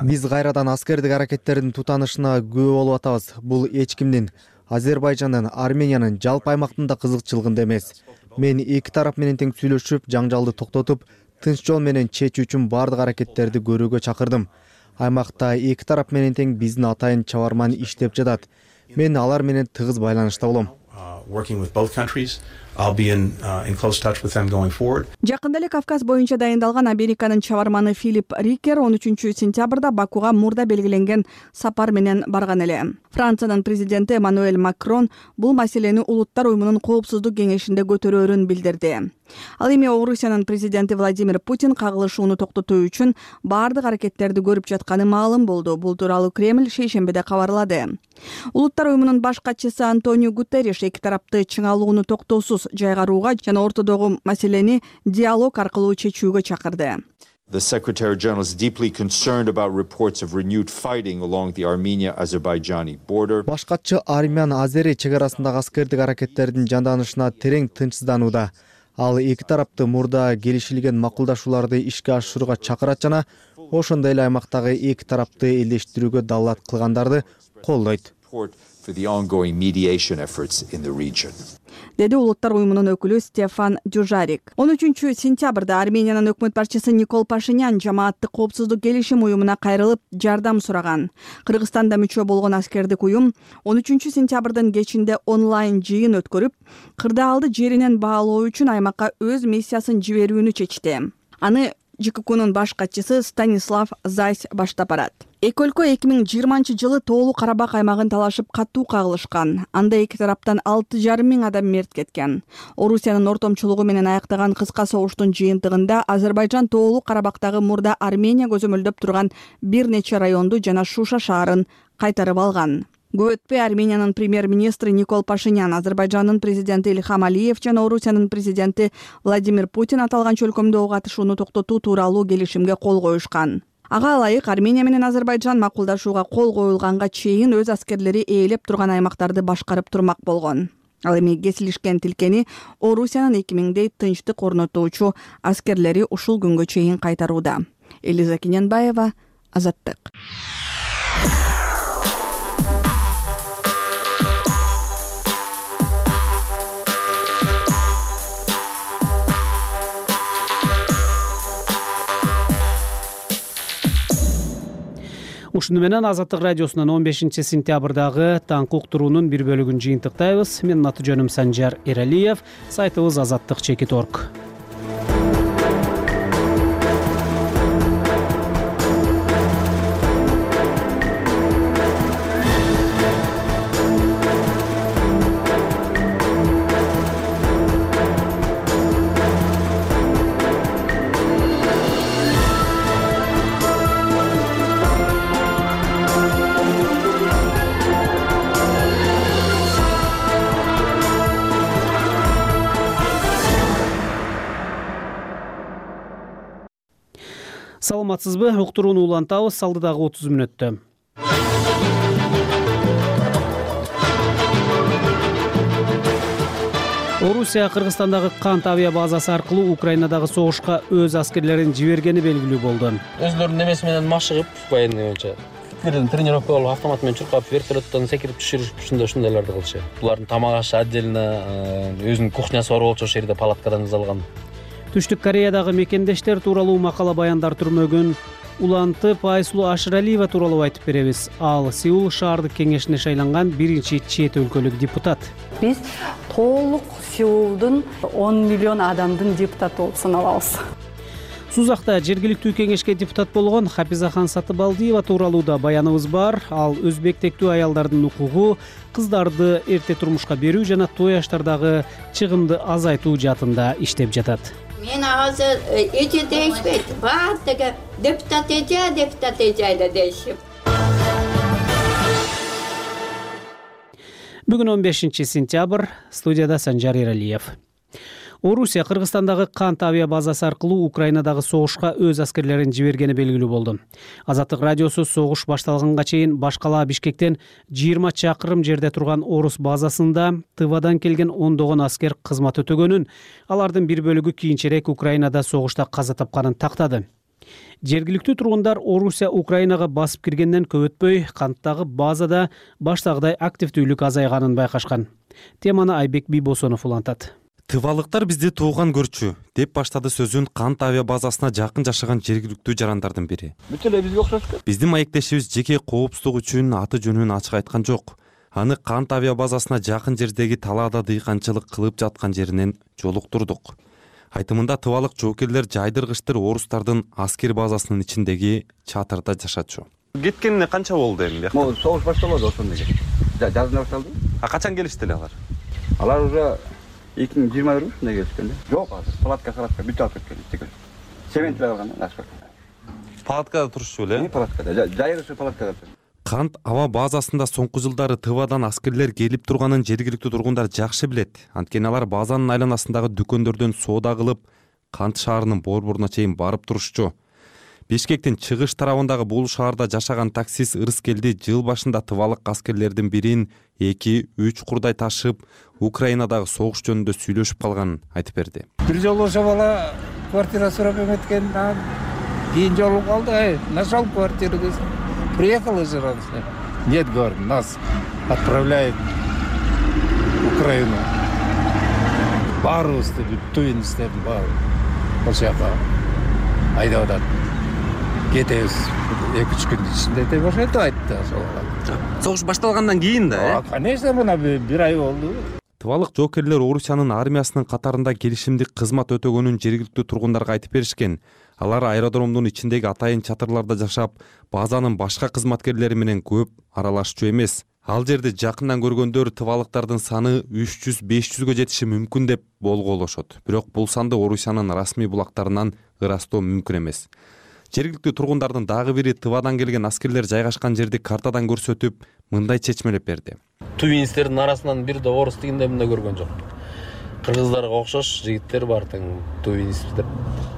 Биз кайрадан аскердик аракеттердин тутанышына күбө болуп атабыз. Бул эч кимдин, Азербайжандын, Армениянын жалпы аймактында кызыкчылыгында эмес. Мен эки тарап менен тең сүйлөшүп, жаңжалды токтотуп, тынч жол менен чечүү үчүн бардык аракеттерди көрүүгө чакырдым. Аймакта эки тарап менен тең биздин атайын чабарман иштеп жатат. Мен алар менен тыгыз байланышта болом. Жакында эле Кавказ боюнча дайындалган Американын чабарманы Филипп Рикер он үчүнчү сентябрда Бакуга мурда белгиленген сапар менен барган эле. Франциянын президенти Эммануэль Макрон бул маселени Улуттар уюмунун коопсуздук кеңешинде көтөрөөрүн билдирди. Ал эми Орусиянын президенти Владимир Путин кагылышууну токтотуу үчүн бардык аракеттерди көрүп жатканы маалым болду. Бул тууралуу Кремль шейшембиде кабарлады. Улуттар уюмунун баш катчысы Антонио Гутерриш эки тарапты чыңалууну токтоосуз жайгарууга жана ортодогу маселени диалог аркылуу чечүүгө чакырды. The Secretary General is deeply concerned about reports of renewed fighting along the Armenia-Azerbaijani border. Баш катчы армян-азери чегарасындагы аскердик аракеттердин жанданышына терең тынчсызданууда. Ал эки тарапты мурда келишилген макулдашууларды ишке ашырууга чакырат жана ошондой эле аймактагы эки тарапты элдештирүүгө далаат кылгандарды колдойт. For the ongoing mediation efforts in the region. Деди Улуттар уюмунун өкүлү Стефан Дюжарик. он үчүнчү сентябрда Армениянын өкмөт башчысы Никол Пашинян жамааттык коопсуздук келишим уюмуна кайрылып жардам сураган. Кыргызстанда мүчө болгон аскердик уюм он үчүнчү сентябрдын кечинде онлайн жыйын өткөрүп, кырдаалды жеринен баалоо үчүн аймакка өз миссиясын жиберүүнү чечти. Аны ЖККнун баш катчысы Станислав Зайс баштап барат. Эки өлкө эки миң жыйырманчы жылы Тоолуу Карабак аймагын талашып катуу кагылышкан. Анда эки тараптан алты жарым миң адам мерт кеткен. Орусиянын ортомчулугу менен аяктаган кыска согуштун жыйынтыгында Азербайжан Тоолуу Карабактагы мурда Армения көзөмөлдөп турган бир нече районду жана Шуша шаарын кайтарып алган. Көп өтпөй Армениянын премьер-министри Никол Пашинян, Азербайжандын президенти Ильхам Алиев жана Орусиянын президенти Владимир Путин аталган чөлкөмдө ок атышууну токтотуу тууралуу келишимге кол коюшкан. Ага ылайык Армения менен Азербайжан макулдашууга кол коюлганга чейин өз аскерлери ээлеп турган аймактарды башкарып турмак болгон. Ал эми кесилишкен тилкени Орусиянын эки миңдей тынчтык орнотуучу аскерлери ушул күнгө чейин кайтарууда. Элиза Кененбаева, Азаттык. Ушуну менен Азаттык радиосунун он бешинчи сентябрдагы таңкы уктуруунун бир бөлүгүн жыйынтыктайбыз. Менин аты жөнүм Санжар Эралиев, сайтыбыз азаттык чекит точка орг. Саламатсызбы? Уктурууну улантабыз алдыдагы отуз мүнөттө. Орусия Кыргызстандагы Кант авиа базасы аркылуу Украинадагы согушка өз аскерлерин жибергени белгилүү болду. Өзлөрүнүн немеси менен машыгып, военный боюнча тренировка болуп, автомат менен чуркап, вертолеттон секирип түшүрүш ушундай ушундайларды кылчу. Булардын тамак ашы отдельно, өзүнүн кухнясы бар болчу, ошол жерде палаткадан жасалган. Түштүк Кореядагы мекендештер тууралуу макала баяндар түрмөгүн улантып, Айсулуу Ашыралиева тууралуу айтып беребиз. Ал Сеул шаардык кеңешине шайланган биринчи чет өлкөлүк депутат. Биз толук Сеулдун он миллион адамдын депутаты болуп саналабыз. Сузакта жергиликтүү кеңешке депутат болгон Хапизахан Сатыбалдиева тууралуу да баяныбыз бар. Ал өзбектектүү аялдардын укугу, кыздарды эрте турмушка берүү жана той аштардагы чыгымды азайтуу жаатында иштеп жатат. Мен азыр эже дейишпейт. Баардыгы депутат эже, депутат эже дейишип. Бүгүн он бешинчи сентябрь, студияда Санжар Эралиев. Орусия Кыргызстандагы Кант авиа базасы аркылуу Украинадагы согушка өз аскерлерин жибергени белгилүү болду. Азаттык радиосу согуш башталганга чейин баш калаа Бишкектен жыйырма чакырым жерде турган Орус базасында Тывадан келген ондогон аскер кызмат өтөгөнүн, алардын бир бөлүгү кийинчерээк Украинада согушта каза тапканын тактады. Жергиликтүү тургундар Орусия Украинага басып киргенден көп өтпөй, Канттагы базада баштагыдай активдүүлүк азайганын байкашкан. Теманы Айбек Бийбосонов улантат. Тывалыктар бизди тууган көрчү, деп баштады сөзүн Кант авиа базасына жакын жашаган жергиликтүү жарандардын бири. Бүт эле бизге окшош. Биздин маектешибиз жеке коопсуздук үчүн аты жөнүн ачык айткан жок. Аны Кант авиа базасына жакын жердеги талаада дыйканчылык кылып жаткан жеринен жолуктурдук. Айтымында тывалык жоокерлер жайдыргычтыр орустардын аскер базасынын ичиндеги чатырда жашачу. Кеткенине канча болду эми? Могу согуш башталды ошондо. Жазында башталды. А качан келишти эле алар? Алар уже эки миң жыйырма бир ушундай келишкен да. Жок азыр палатка салатка бүт алып кеткен. Сементler алган да, ашка. Палаткада турушчу эле? Палаткада, жайгышы палаткада. Кант аба базасында соңку жылдары Тывадан аскерлер келип турганын жергиликтүү тургундар жакшы билет. Анткени алар базанын айланасындагы дүкөндөрдөн соода кылып, Кант шаарынын борборуна чейин барып турушчу. Бишкектин чыгыш тарабындагы бул шаарда жашаган таксист Ырыскелди жыл башында тывалык аскерлердин бирин эки үч курдай ташып, Украинадагы согуш жөнүндө сүйлөшүп калганын айтып берди. Бир жолу ошо бала квартира сурап эметкен, кийин жолу калды, нашел квартиру. Приехал из Иранска. Нет, говорит, нас отправляет в Украину. Баарыбызды түйүн иштеп, баары. Ошол жака айдап атат. Кетебиз эки үч күндүн ичинде деп ошентип айтты ошол. Согуш башталгандан кийин да, э? Конечно, мына бир ай болду. Тывалык жоокерлер Орусиянын армиясынын катарында келишимдик кызмат өтөгөнүн жергиликтүү тургундарга айтып беришкен. Алар аэродромдун ичиндеги атайын чатырларда жашап, базанын башка кызматкерлери менен көп аралашчу эмес. Ал жерде жакындан көргөндөр тывалыктардын саны үч жүз беш жүзгө жетиши мүмкүн деп болгоолошот. Бирок бул санды Орусиянын расмий булактарынан ырастоо мүмкүн эмес. Жергиликтүү тургундардын дагы бири Тывадан келген аскерлер жайгашкан жерди картадан көрсөтүп, мындай чечмелеп берди. Тувинстердин арасынан бир да орус дегенде мындай көргөн жок. Кыргыздарга окшош жигиттер бар тең тувинс деп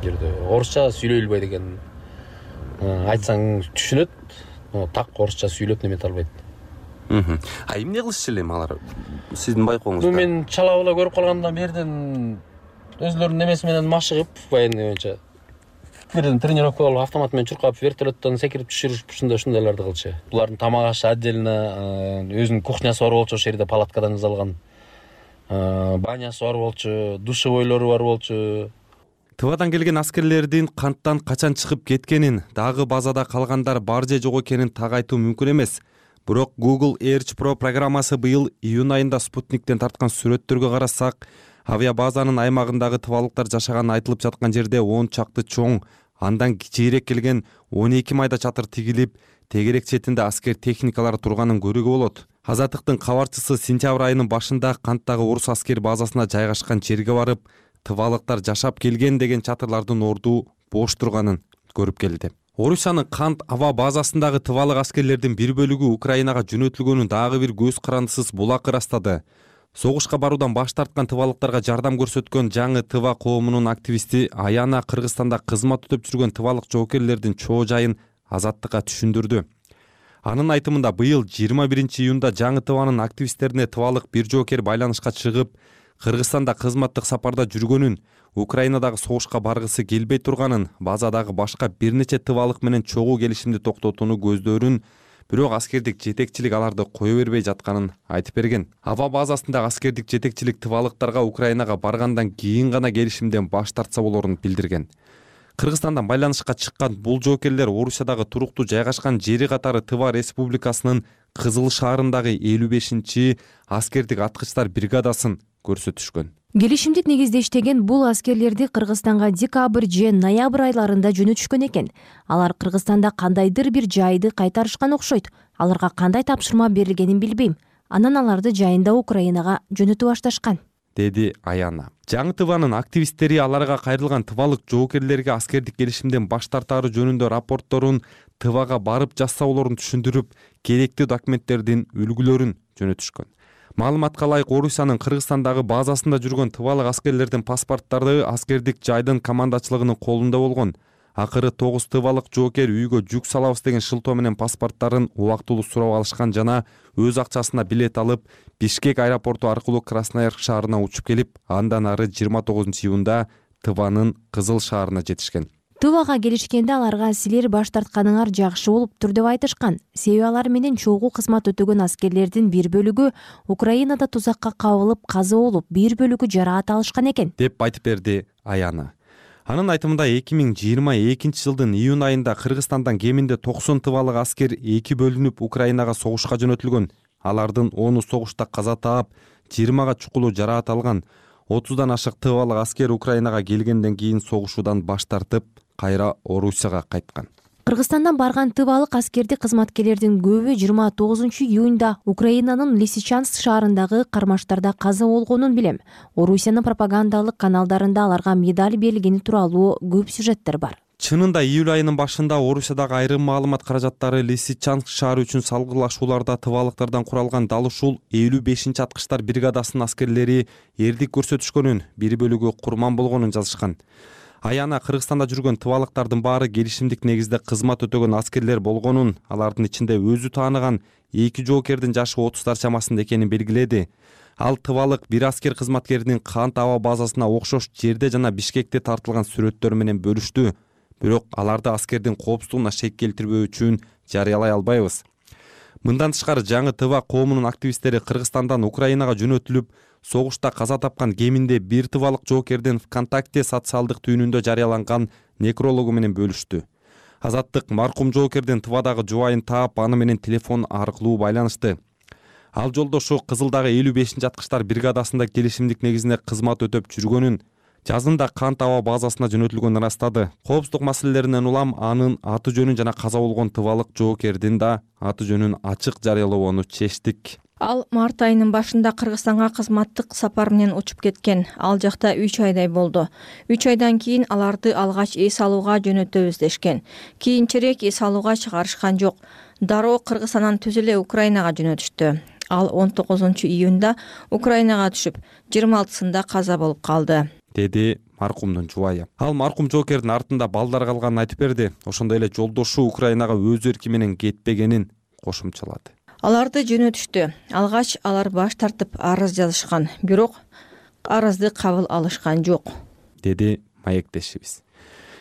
жерде. Орусча сүйлөй албайт экен. Айтсаң түшүнөт, но так орусча сүйлөп немете албайт. А эмне кылышчу эле алар сиздин байкооңузда? Бул мен чала була көрүп калгандан берден өзлөрүнүн немеси менен машыгып военный боюнча бирден тренировка болуп автомат менен чуркап вертолеттон секирип түшүрүшүп ушундай ушундайларды кылчу. Булардын тамак ашы отдельно, өзүнүн кухнясы бар болчу, ошол жерде палаткадан жасалган. Банясы бар болчу, душевойлору бар болчу. Тывадан келген аскерлердин канттан качан чыгып кеткенин, дагы базада калгандар бар же жок экенин так айтуу мүмкүн эмес. Бирок Google Earth Pro программасы быйыл июнь айында Спутниктен тарткан сүрөттөргө карасак, авиабазанын аймагындагы тывалыктар жашаганы айтылып жаткан жерде он чакты чоң, андан кичирээк келген он эки майда чатыр тигилип, тегерек четинде аскер техникалары турганын көрүүгө болот. Азаттыктын кабарчысы сентябрь айынын башында канттагы орус аскер базасына жайгашкан жерге барып, тывалыктар жашап келген деген чатырлардын орду бош турганын көрүп келди. Орусиянын Кант аба базасындагы тывалык аскерлердин бир бөлүгү Украинага жөнөтүлгөнүн дагы бир көз карандысыз булак ырастады. Согушка баруудан баш тарткан тывалыктарга жардам көрсөткөн жаңы тыва коомунун активисти Аяна Кыргызстанда кызмат өтөп жүргөн тывалык жоокерлердин чоо жайын Азаттыкка түшүндүрдү. Анын айтымында быйыл жыйырма биринчи июнда жаңы тыванын активисттерине тывалык бир жоокер байланышка чыгып, Кыргызстанда кызматтык сапарда жүргөнүн, Украинадагы согушка баргысы келбей турганын, базадагы башка бир нече тывалык менен чогуу келишимди токтотууну көздөрүн, бирок аскердик жетекчилик аларды кое бербей жатканын айтып берген. Аба базасындагы аскердик жетекчилик тывалыктарга Украинага баргандан кийин гана келишимден баш тартса болорун билдирген. Кыргызстандан байланышка чыккан бул жоокерлер Орусиядагы туруктуу жайгашкан жери катары Тыва Республикасынын Кызыл шаарындагы элүү бешинчи аскердик аткычтар бригадасын көрсөтүшкөн. Келишимдик негизде иштеген бул аскерлерди Кыргызстанга декабрь же ноябрь айларында жөнөтүшкөн экен. Алар Кыргызстанда кандайдыр бир жайды кайтарышкан окшойт. Аларга кандай тапшырма берилгенин билбейм. Анан аларды жайында Украинага жөнөтүп башташкан, деди Аяна. Жаңы тыванын активисттери аларга кайрылган тывалык жоокерлерге аскердик келишимден баш тартаары жөнүндө рапортторун тывага барып жазса болорун түшүндүрүп, керектүү документтердин үлгүлөрүн жөнөтүшкөн. Маалыматка ылайык, Орусиянын Кыргызстандагы базасында жүргөн тывалык аскерлердин паспорттары аскердик жайдын командачылыгынын колунда болгон. Акыры тогуз тывалык жоокер үйгө жүк салабыз деген шылтоо менен паспорттарын убактылуу сурап алышкан жана өз акчасына билет алып, Бишкек аэропорту аркылуу Красноярск шаарына учуп келип, андан ары жыйырма тогузунчу июнда Тыванын Кызыл шаарына жетишкен. Тывага келишкенде аларга силер баш тартканыңар жакшы болуптур деп айтышкан. Себеби алар менен чогуу кызмат өтөгөн аскерлердин бир бөлүгү Украинада тузакка кабылып каза болуп, бир бөлүгү жараат алышкан экен, деп айтып берди Аяна. Анын айтымында эки миң жыйырма экинчи жылдын июнь айында Кыргызстандан кеминде токсон тывалык аскер эки бөлүнүп Украинага согушка жөнөтүлгөн. Алардын ону согушта каза таап, жыйырмага чукулуу жараат алган. отуздан ашык тывалык аскер Украинага келгенден кийин согушуудан баш тартып, кайра Орусияга кайткан. Кыргызстандан барган тывалык аскердик кызматкерлердин көбү жыйырма тогузунчу июнда Украинанын Лисичанск шаарындагы кармаштарда каза болгонун билем. Орусиянын пропагандалык каналдарында аларга медаль берилгени тууралуу көп сюжеттер бар. Чынында июль айынын башында Орусиядагы айрым маалымат каражаттары Лисичанск шаары үчүн салгылашууларда тывалыктардан куралган дал ушул элүү бешинчи аткычтар бригадасынын аскерлери эрдик көрсөтүшкөнүн, бир бөлүгү курман болгонун жазышкан. Аяна Кыргызстанда жүргөн тывалыктардын баары келишимдик негизде кызмат өтөгөн аскерлер болгонун, алардын ичинде өзү тааныган эки жоокердин жашы отуздар чамасында экенин белгиледи. Ал тывалык бир аскер кызматкеринин Кант аба базасына окшош жерде жана Бишкекте тартылган сүрөттөр менен бөлүштү. Бирок аларды аскердин коопсуздугуна шек келтирбөө үчүн жарыялай албайбыз. Мындан тышкары жаңы Тыва коомунун активисттери Кыргызстандан Украинага жөнөтүлүп, согушта каза тапкан кеминде бир тывалык жоокердин ВКонтакте социалдык түйүнүндө жарыяланган некрологу менен бөлүштү. Азаттык маркум жоокердин Тывадагы жубайын таап, аны менен телефон аркылуу байланышты. Ал жолдошу Кызылдагы элүү бешинчи аткычтар бригадасында келишимдик негизинде кызмат өтөп жүргөнүн, жазында Кант аба базасына жөнөтүлгөнүн ырастады. Коопсуздук маселелеринен улам анын аты жөнүн жана каза болгон тывалык жоокердин да аты жөнүн ачык жарыялоону чечтик. Ал март айынын башында Кыргызстанга кызматтык сапар менен учуп кеткен. Ал жакта үч айдай болду. үч айдан кийин аларды алгач эс алууга жөнөтөбүз дешкен. Кийинчерээк эс алууга чыгарышкан жок. Дароо Кыргызстандан түз эле Украинага жөнөтүштү. Ал он тогузунчу июнда Украинага түшүп, жыйырма алтысында каза болуп калды, деди маркумдун жубайы. Ал маркум жоокердин артында балдар калганын айтып берди. Ошондой эле жолдошу Украинага өз эрки менен кетпегенин кошумчалады. аларды жөнөтүштү. Алгач алар баш тартып арыз жазышкан, бирок арызды кабыл алышкан жок, деди маектешибиз.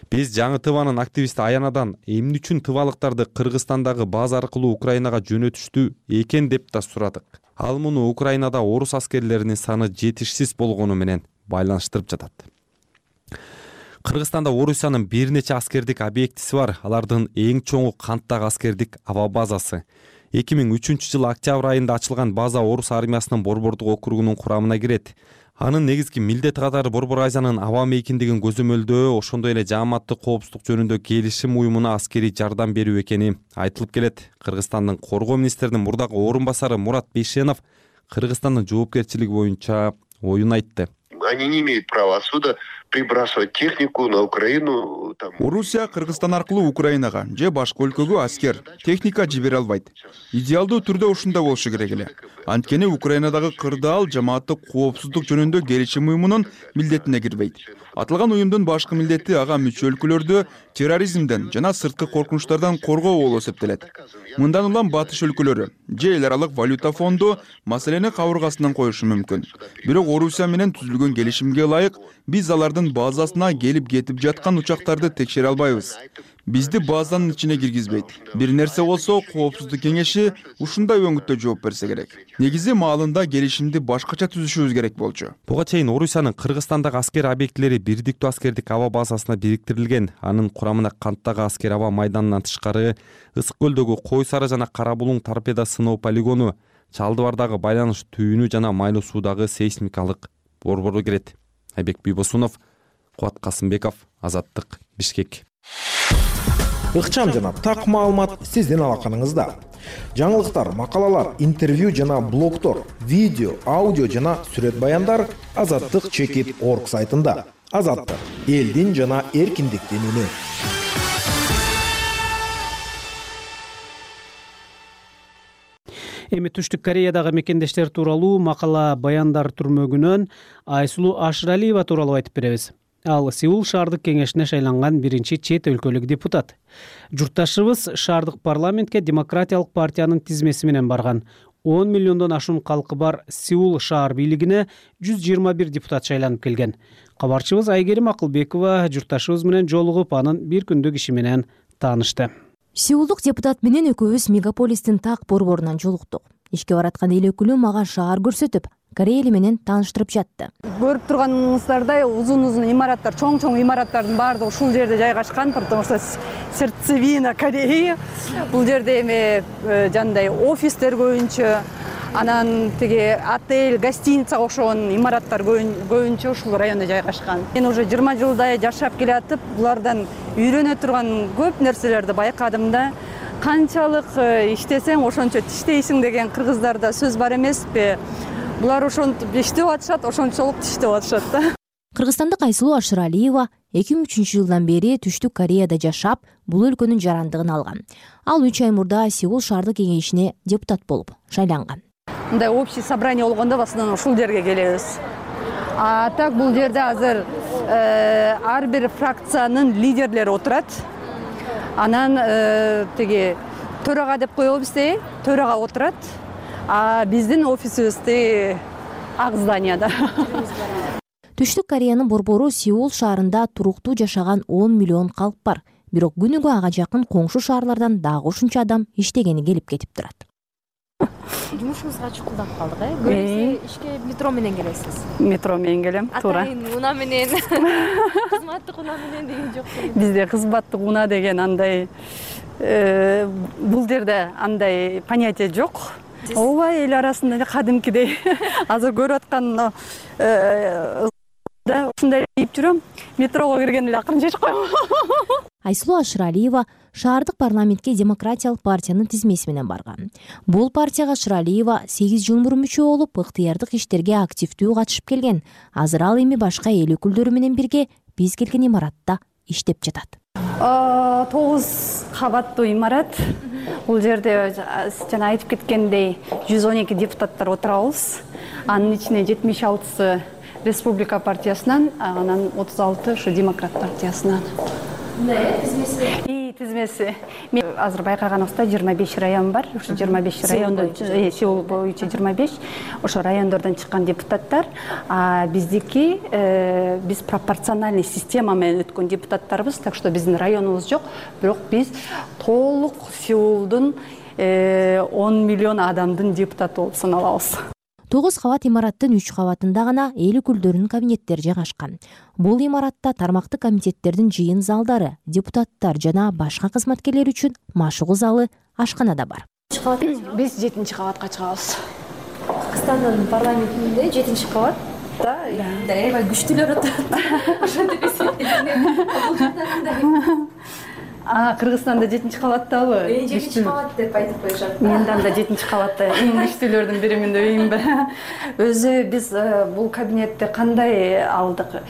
Биз жаңы ТВнын активисти Аянадан эмне үчүн тывалыктарды Кыргызстандагы база аркылуу Украинага жөнөтүштү экен деп да сурадык. Ал муну Украинада орус аскерлеринин саны жетишсиз болгону менен байланыштырып жатат. Кыргызстанда Орусиянын бир нече аскердик объектиси бар. Алардын эң чоңу Канттагы аскердик аба базасы. эки миң үчүнчү жылы октябрь айында ачылган база Орус армиясынын Борбордук округунун курамына кирет. Анын негизги милдети катары Борбор Азиянын аба мейкиндигин көзөмөлдөө, ошондой эле жааматтык коопсуздук жөнүндө келишим уюмуна аскерий жардам берүү экени айтылып келет. Кыргызстандын коргоо министринин мурдагы орун басары Мурат Бейшенов Кыргызстандын жоопкерчилиги боюнча оюн айтты. Они не имеют права отсюда прибрасывать технику на Украину. Орусия Кыргызстан аркылуу Украинага же башка өлкөгө аскер, техника жибере албайт. Идеалдуу түрдө ушундай болушу керек эле. Анткени Украинадагы кырдаал жамааттык коопсуздук жөнүндө келишим уюмунун милдетине кирбейт. Аталган уюмдун башкы милдети ага мүчө өлкөлөрдү терроризмден жана сырткы коркунучтардан коргоо болуп эсептелет. Мындан улам батыш өлкөлөрү же эл аралык валюта фонду маселени кабыргасынан коюшу мүмкүн. Бирок Орусия менен түзүлгөн келишимге ылайык биз алардын базасына келип кетип жаткан учактарды текшере албайбыз. Бизди базанын ичине киргизбейт. Бир нерсе болсо, коопсуздук кеңеши ушундай өңүттө жооп берсе керек. Негизи маалында келишимди башкача түзүшүбүз керек болчу. Буга чейин Орусиянын Кыргызстандагы аскер объектилери бирдиктүү аскердик аба базасына бириктирилген. Анын курамына Канттагы аскер аба майданынан тышкары Ысык көлдөгү Кой Сары жана Кара Булуң торпеда сыноо полигону, Чалдыбардагы байланыш түйүнү жана Майлуу суудагы сейсмикалык борбору кирет. Айбек Бийбосунов, Кубат Касымбеков, Азаттык, Бишкек. Ыкчам жана так маалымат сиздин алаканыңызда. Жаңылыктар, макалалар, интервью жана блогтор, видео, аудио жана сүрөт баяндар азаттык чекит точка орг сайтында. Азаттык — элдин жана эркиндиктин үнү. Эми Түштүк Кореядагы мекендештер тууралуу макала баяндар түрмөгүнөн Айсулуу Ашыралиева тууралуу айтып беребиз. Ал Сеул шаардык кеңешине шайланган биринчи чет өлкөлүк депутат. Журтташыбыз шаардык парламентке Демократиялык партиянын тизмеси менен барган. он миллиондон ашуун калкы бар Сеул шаар бийлигине жүз жыйырма бир депутат шайланып келген. Кабарчыбыз Айгерим Акылбекова журтташыбыз менен жолугуп, анын бир күндүк иши менен таанышты. Сеулдук депутат менен экөөбүз мегаполистин так борборунан жолуктук. Ишке бараткан эл өкүлү мага шаар көрсөтүп, Корея эли менен тааныштырып жатты. Көрүп турганыңыздардай узун-узун имараттар, чоң-чоң имараттардын баардыгы ушул жерде жайгашкан, потому что сердцевина Кореи. Бул жерде эми жандай офистер көбүнчө, анан тиги отель, гостиницага окшогон имараттар көбүнчө ушул райондо жайгашкан. Мен уже жыйырма жылдай жашап келатып, булардан үйрөнө турган көп нерселерди байкадым да. Канчалык иштесең ошончо тиштейсиң деген кыргыздарда сөз бар эмеспи? Булар ошентип иштеп атышат, ошончолук тиштеп атышат да. Кыргызстандык Айсулуу Ашыралиева эки миң үчүнчү жылдан бери Түштүк Кореяда жашап, бул өлкөнүн жарандыгын алган. Ал үч ай мурда Сеул шаардык кеңешине депутат болуп шайланган. Мындай общий собрание болгондо басынан ушул жерге келебиз. А так бул жерде азыр ар бир фракциянын лидерлери отурат. Анан тиги төрага деп коелу бизде, төрага отурат. А биздин офисибизде ак зданияда. Түштүк Кореянын борбору Сеул шаарында туруктуу жашаган он миллион калк бар. Бирок күнүгө ага жакын коңшу шаарлардан дагы ушунча адам иштегени келип кетип турат. Жумушуңузга чукулдап калдык, э? Көбүнчө ишке метро менен келесиз. Метро менен келем, туура. Атайын унаа менен, кызматтык унаа менен деген жок. Бизде кызматтык унаа деген андай бул жерде андай понятие жок. Ооба, эл арасында кадимкидей азыр көрүп аткан да ушундай дейип жүрөм. Метрого кирген эле акырын чечип коем. Айсулуу Ашыралиева шаардык парламентке Демократиялык партиянын тизмеси менен барган. Бул партияга Ашыралиева сегиз жыл мурун мүчө болуп, ыктыярдык иштерге активдүү катышып келген. Азыр ал эми башка эл өкүлдөрү менен бирге биз келген имаратта иштеп жатат. тогуз кабаттуу имарат. Бул жерде жана айтып кеткендей жүз он эки депутаттар отурабыз. Анын ичинде жетимиш алтысы Республика партиясынан, анан отуз алты ушу Демократ партиясынан. И тизмеси. Мен азыр байкаганыбызда жыйырма беш район бар. Ошо жыйырма беш райондон Сеул боюнча жыйырма беш ошо райондордон чыккан депутаттар, а биздики биз пропорциональный система менен өткөн депутаттарбыз, так что биздин районубуз жок, бирок биз толук Сеулдун он миллион адамдын депутаты болуп саналабыз. тогуз кабат имараттын үч кабатында гана эл өкүлдөрүнүн кабинеттери жайгашкан. Бул имаратта тармактык комитеттердин жыйын залдары, депутаттар жана башка кызматкерлер үчүн машыгуу залы, ашкана да бар. Биз жетинчи кабатка чыгабыз. Кыргызстандын парламентинде жетинчи кабат да, аябай күчтүүлөр отурат. Ошентип эсептейм. А, Кыргызстанда жетинчи кабаттабы? жетинчи кабат деп айтып коюшат. Мендан да жетинчи кабатта эң күчтүүлөрдүн биримин деп ийинби? Өзү биз бул кабинетти кандай алдык?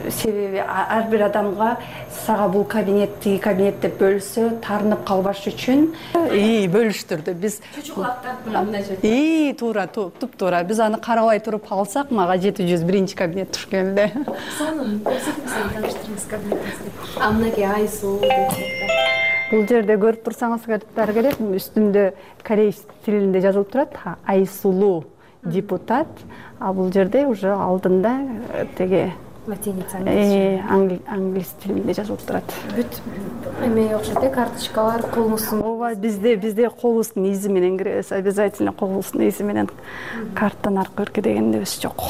Себеби ар бир адамга сага бул кабинет, тиги кабинет деп бөлсө, таарынып калбаш үчүн и бөлүштүрдү. Биз чучуклактап мындай жерде. И туура, туп-туура. Биз аны карабай туруп алсак, мага жети жүз биринчи кабинет туш келди. Сонун көрсөтмөсөң тааныштырыңыз кабинетиңизди. Амнаки Айсулуу. Бул жерде көрүп турсаңыздар керек, үстүндө корейс тилинде жазылып турат Айсулуу депутат, а бул жерде уже алдында теге латиница англис тилинде жазылып турат. Бүт эме окшойт, карточкалар, колубуздун. Ооба, бизде бизде колубуздун изи менен киребиз, обязательно колубуздун изи менен карттан аркы дегенебиз жок.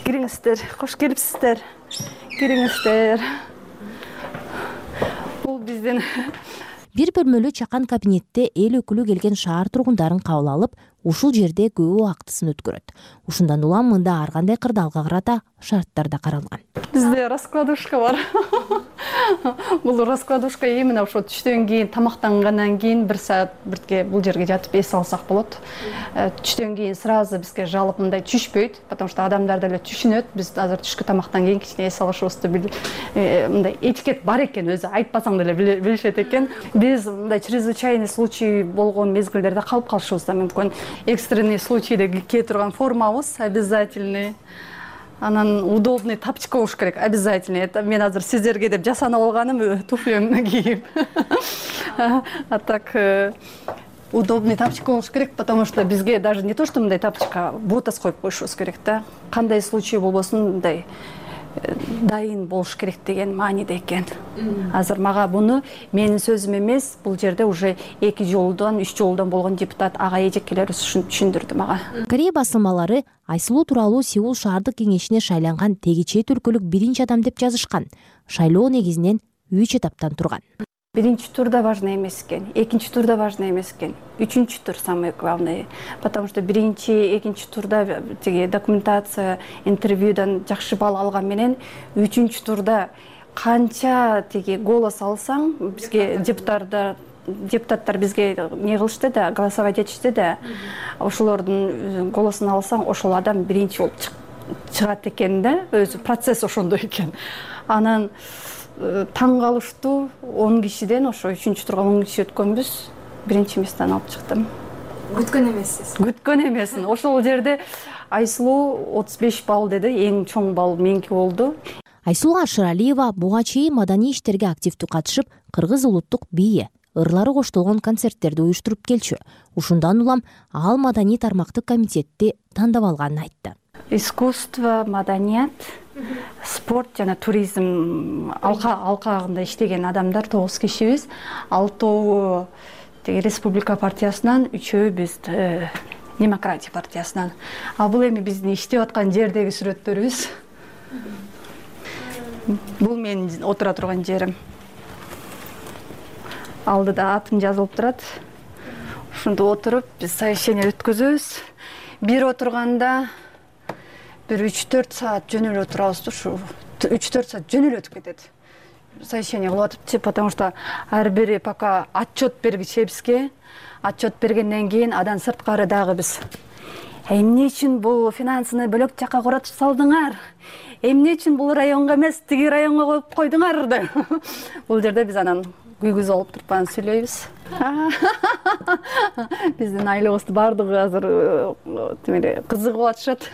Кириңиздер, кош келипсиздер. Кириңиздер. Биздин бир бөлмөлүү чакан кабинетте эл өкүлү келген шаар тургундарын кабыл алып, ушул жерде көп убактысын өткөрөт. Ушундан улам мында ар кандай кырдаалга карата шарттар да каралган. Бизде раскладушка бар. Бул раскладушка именно ошо түштөн кийин, тамактангандан кийин бир саат бирге бул жерге жатып эс алсак болот. Түштөн кийин сразу бизге жалып мындай түшпөйт, потому что адамдар деле түшүнөт. Биз азыр түшкү тамактан кийин кичине эс алышыбызды мындай этикет бар экен, өзү айтпасаң деле билишет экен. Биз мындай чрезвычайный случай болгон мезгилдерде калып калышыбыз да мүмкүн. Экстренный случайда кие турган формабыз обязательный. Анан удобный тапочка болуш керек, обязательно. Это мен азыр сиздерге деп жасанып алганым туфлемди кийип. А так удобный тапочка болуш керек, потому что бизге даже не то что мындай тапочка, ботас коюп коюшубуз керек да. Кандай случай болбосун мындай дайын болуш керек деген мааниде экен. Азыр мага буну менин сөзүм эмес, бул жерде уже эки жолдон, үч жолдон болгон депутат ага эжекелер түшүндүрдү мага. Корея басылмалары Айсулуу тууралуу Сеул шаардык кеңешине шайланган теги чет өлкөлүк биринчи адам деп жазышкан. Шайлоо негизинен үч этаптан турган. Биринчи турда важный эмес экен, экинчи турда важный эмес экен, үчүнчү тур самый главный, потому что биринчи, экинчи турда теги документация, интервьюдан жакшы балл алган менен үчүнчү турда канча теги голос алсаң, бизге депутаттар депутаттар бизге не кылышты да, голосовать этишти да, ошолордун голосун алсаң, ошол адам биринчи болуп чыгат экен да, өзү процесс ошондой экен. Анан таң калыштуу он кишиден ошо үчүнчү турга он киши өткөнбүз, биринчи местени алып чыктым. Күткөн эмессиз? Күткөн эмесмин. Ошол жерде Айсулуу отуз беш балл деди, эң чоң балл меники болду. Айсулуу Ашыралиева буга чейин маданий иштерге активдүү катышып, кыргыз улуттук бийи, ырлары коштолгон концерттерди уюштуруп келчү. Ушундан улам ал маданий тармактык комитетти тандап алганын айтты. Искусство, маданият, спорт жана туризм алкагында иштеген адамдар тогуз кишибиз. Алтоо теги Республика партиясынан, үчөө биз Демократия партиясынан. А бул эми биздин иштеп аткан жердеги сүрөттөрүбүз. Бул менин отура турган жерим. Алдыда атым жазылып турат. Ушунда отуруп биз совещание өткөзөбүз. Бир отурганда бир үч төрт саат жөнөлө турабыз, ушу үч төрт саат жөнөлө өтүп кетет. Совещание кылып атыпчы, потому что ар бири пока отчет бергичебизге, отчет бергенден кийин адан сырткары дагы биз эмне үчүн бул финансыны бөлөк жакка куратып салдыңар? Эмне үчүн бул районго эмес, тиги районго коюп койдуңар деп. Бул жерде биз анан күйгүз алып туруп анан сүйлөйбүз. Биздин айлабызды бардыгы азыр тимеле кызыгып атышат.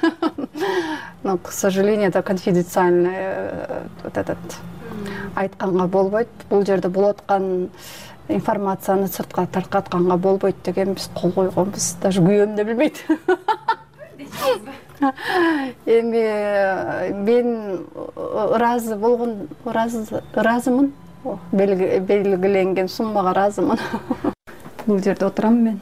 Но, к сожалению, это конфиденциальный вот этот айтканга болбойт, бул жерде болуп аткан информацияны сыртка таркатканга болбойт деген биз кол койгонбуз. Даже күйөөм да билбейт. Эми мен ыраазы болгон, ыраазымын. Белгиленген суммага ыраазымын. Бул жерде отурам мен.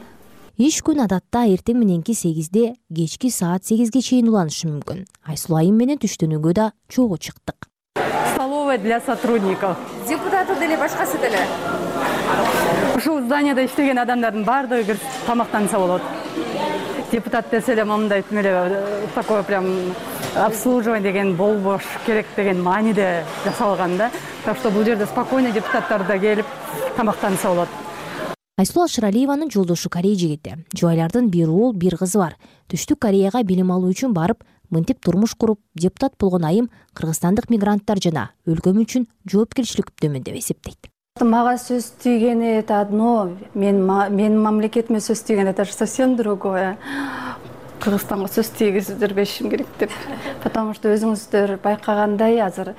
Иш күн адатта эртең мененки сегизде, кечки саат сегизге чейин уланышы мүмкүн. Айсулуу айым менен түштөнүүгө да чогуу чыктык. Столовая для сотрудников. Депутаты деле башкасы деле. Ушул зданияда иштеген адамдардын баардыгы кирип тамактанса болот. Депутат десе эле мындай эле такое прям обслуживание деген болбош керек деген мааниде жасалган да. Так что бул жерде спокойно депутаттар да келип тамактанса болот. Айсулуу Ашыралиеванын жолдошу Корея жигити. Жубайлардын бир уул, бир кызы бар. Түштүк Кореяга билим алуу үчүн барып, мынтип турмуш куруп, депутат болгон айым кыргызстандык мигранттар жана өлкөм үчүн жоопкерчиликтүүмүн деп эсептейт. Мага сөз тийгени это одно, мен менин мамлекетиме сөз тийгени это же совсем другое. Кыргызстанга сөз тийгизип жүрбешим керек деп. Потому что өзүңүздөр байкагандай азыр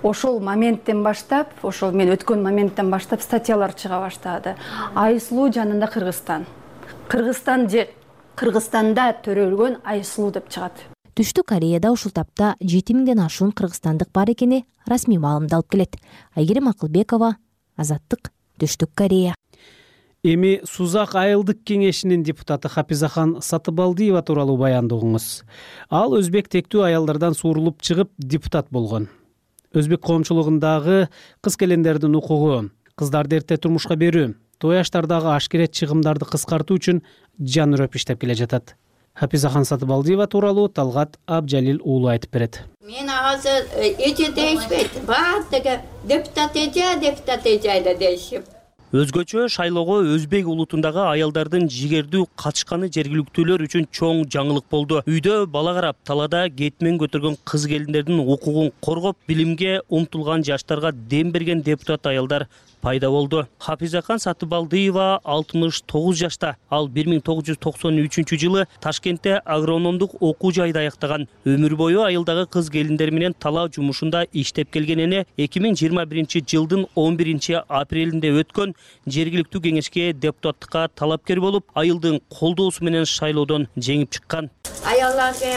ошол моменттен баштап, ошол мен өткөн моменттен баштап статьялар чыга баштады. Айсулуу жанында Кыргызстан. Кыргызстан же Кыргызстанда төрөлгөн Айсулуу деп чыгат. Түштүк Кореяда ушул тапта жети миңден ашуун кыргызстандык бар экени расмий маалымдалып келет. Айгерим Акылбекова, Азаттык, Түштүк Корея. Эми Сузак айылдык кеңешинин депутаты Хапизахан Сатыбалдиева тууралуу баянды угуңуз. Ал өзбек тектүү аялдардан суурулуп чыгып депутат болгон. Өзбек коомчулугундагы кыз келиндердин укугу, кыздарды эрте турмушка берүү, той аштардагы ашкерет чыгымдарды кыскартуу үчүн жан үрөп иштеп келе жатат. Хапизахан Сатыбалдиева тууралуу Талгат Абжалил уулу айтып берет. Мен азыр эже дейишпейт, баардыгы депутат эже, депутат эже дейишип. Өзгөчө шайлоого өзбек улутундагы аялдардын жигердүү катышканы жергиликтүүлөр үчүн чоң жаңылык болду. Үйдө бала карап, талада кетмен көтөргөн кыз келиндердин укугун коргоп, билимге умтулган жаштарга дем берген депутат аялдар пайда болду. Хапизахан Сатыбалдиева алтымыш тогуз жашта. Ал бир миң тогуз жүз токсон үчүнчү жылы Ташкентте агрономдук окуу жайды аяктаган. Өмүр бою айылдагы кыз келиндер менен талаа жумушунда иштеп келгенине эки миң жыйырма биринчи жылдын он биринчи апрелинде өткөн жергиликтүү кеңешке депутаттыкка талапкер болуп, айылдын колдоосу менен шайлоодон жеңип чыккан. Аялларга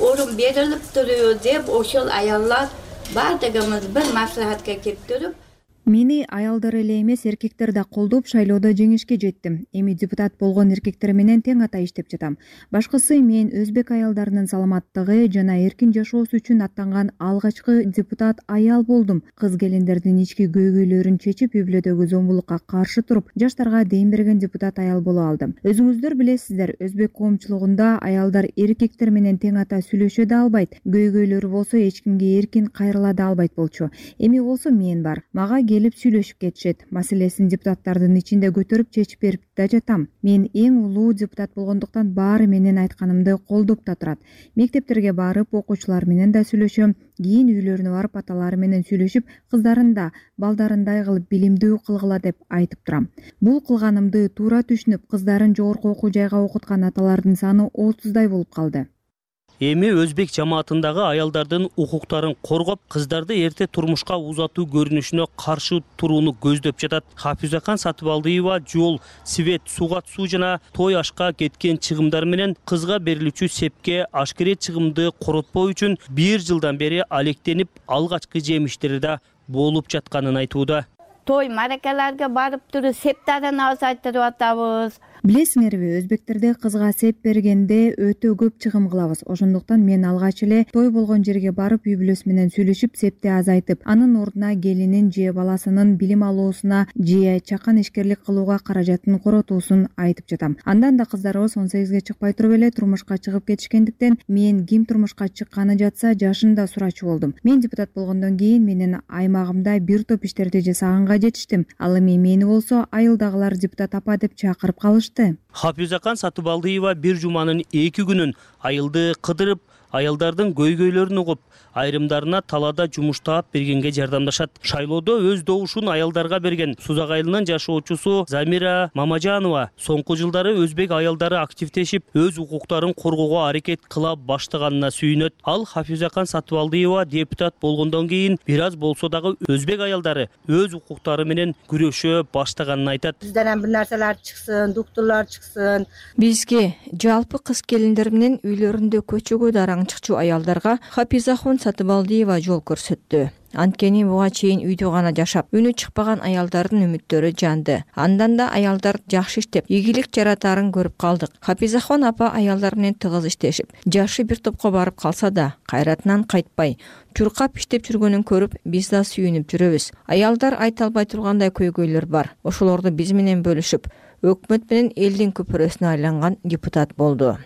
орун берилип туруу деп ошол аяллар баардыгыбыз бир маслихатка келип туруп, мени аялдар эле эмес, эркектер да колдоп шайлоодо жеңишке жеттим. Эми депутат болгон эркектер менен тең ата иштеп жатам. Башкысы мен өзбек аялдарынын саламаттыгы жана эркин жашоосу үчүн аттанган алгачкы депутат аял болдум. Кыз келиндердин ички көйгөйлөрүн чечип, үй бүлөдөгү зомбулукка каршы туруп, жаштарга дем берген депутат аял боло алдым. Өзүңүздөр билесиздер, өзбек коомчулугунда аялдар эркектер менен тең ата сүйлөшө да албайт. Көйгөйлөрү болсо эч кимге эркин кайрыла да албайт болчу. Эми болсо мен бар. Мага келип сүйлөшүп кетишет. Маселесин депутаттардын ичинде көтөрүп чечип берип да жатам. Мен эң улуу депутат болгондуктан баары менин айтканымды колдоп да турат. Мектептерге барып, окуучулар менен да сүйлөшөм. Кийин үйлөрүнө барып аталары менен сүйлөшүп, кыздарын да балдарындай кылып билимдүү кылгыла деп айтып турам. Бул кылганымды туура түшүнүп, кыздарын жогорку окуу жайга окуткан аталардын саны отуздай болуп калды. Эми өзбек жамаатындагы аялдардын укуктарын коргоп, кыздарды эрте турмушка узатуу көрүнүшүнө каршы турууну көздөп жатат. Хапизахан Сатыбалдиева жол, свет, сугат суу жана той ашка кеткен чыгымдар менен кызга берилүүчү сепке ашкерет чыгымды коротпоо үчүн бир жылдан бери алектенип, алгачкы жемиштери да болуп жатканын айтууда. Той маракаларга барып туруп септарын азайтырып атабыз. Билесиңерби, өзбектерде кызга сеп бергенде өтө көп чыгым кылабыз. Ошондуктан мен алгач эле той болгон жерге барып, үй бүлөсү менен сүйлөшүп, септи азайтып, анын ордуна келинин же баласынын билим алуусуна же чакан ишкерлик кылууга каражатын коротуусун айтып жатам. Андан да кыздарыбыз он сегизге чыкпай туруп эле турмушка чыгып кетишкендиктен, мен ким турмушка чыкканы жатса, жашын да сурачу болдум. Мен депутат болгондон кийин менин аймагымда бир топ иштерди жасаганга жетиштим. Ал эми мени болсо айылдагылар депутат апа деп чакырып калышты. Хапизахан Сатыбалдиева бир жуманын эки күнүн айылды кыдырып, аялдардын көйгөйлөрүн угуп, айрымдарына талаада жумуш таап бергенге жардамдашат. Шайлоодо өз добушун аялдарга берген Сузак айылынын жашоочусу Замира Мамажанова соңку жылдары өзбек аялдары активдешип, өз укуктарын коргоого аракет кыла баштаганына сүйүнөт. Ал Хафизакан Сатыбалдиева депутат болгондон кийин бир аз болсо дагы өзбек аялдары өз укуктары менен күрөшө баштаганын айтат. Бизден бир нерселер чыксын, доктурлар чыксын. Бизге жалпы кыз келиндер менен үйлөрүндө көчөгө дараң чыкчу аялдарга Хафизахон Сатыбалдиева жол көрсөттү. Анткени буга чейин үйдө гана жашап, үнү чыкпаган аялдардын үмүттөрү жанды. Андан да аялдар жакшы иштеп, ийгилик жаратарын көрүп калдык. Хафизахон апа аялдар менен тыгыз иштешип, жашы бир топко барып калса да, кайратынан кайтпай, чуркап иштеп жүргөнүн көрүп, биз да сүйүнүп жүрөбүз. Аялдар айта албай тургандай көйгөйлөр бар. Ошолорду биз менен бөлүшүп, өкмөт менен элдин көпүрөсүнө айланган депутат болду.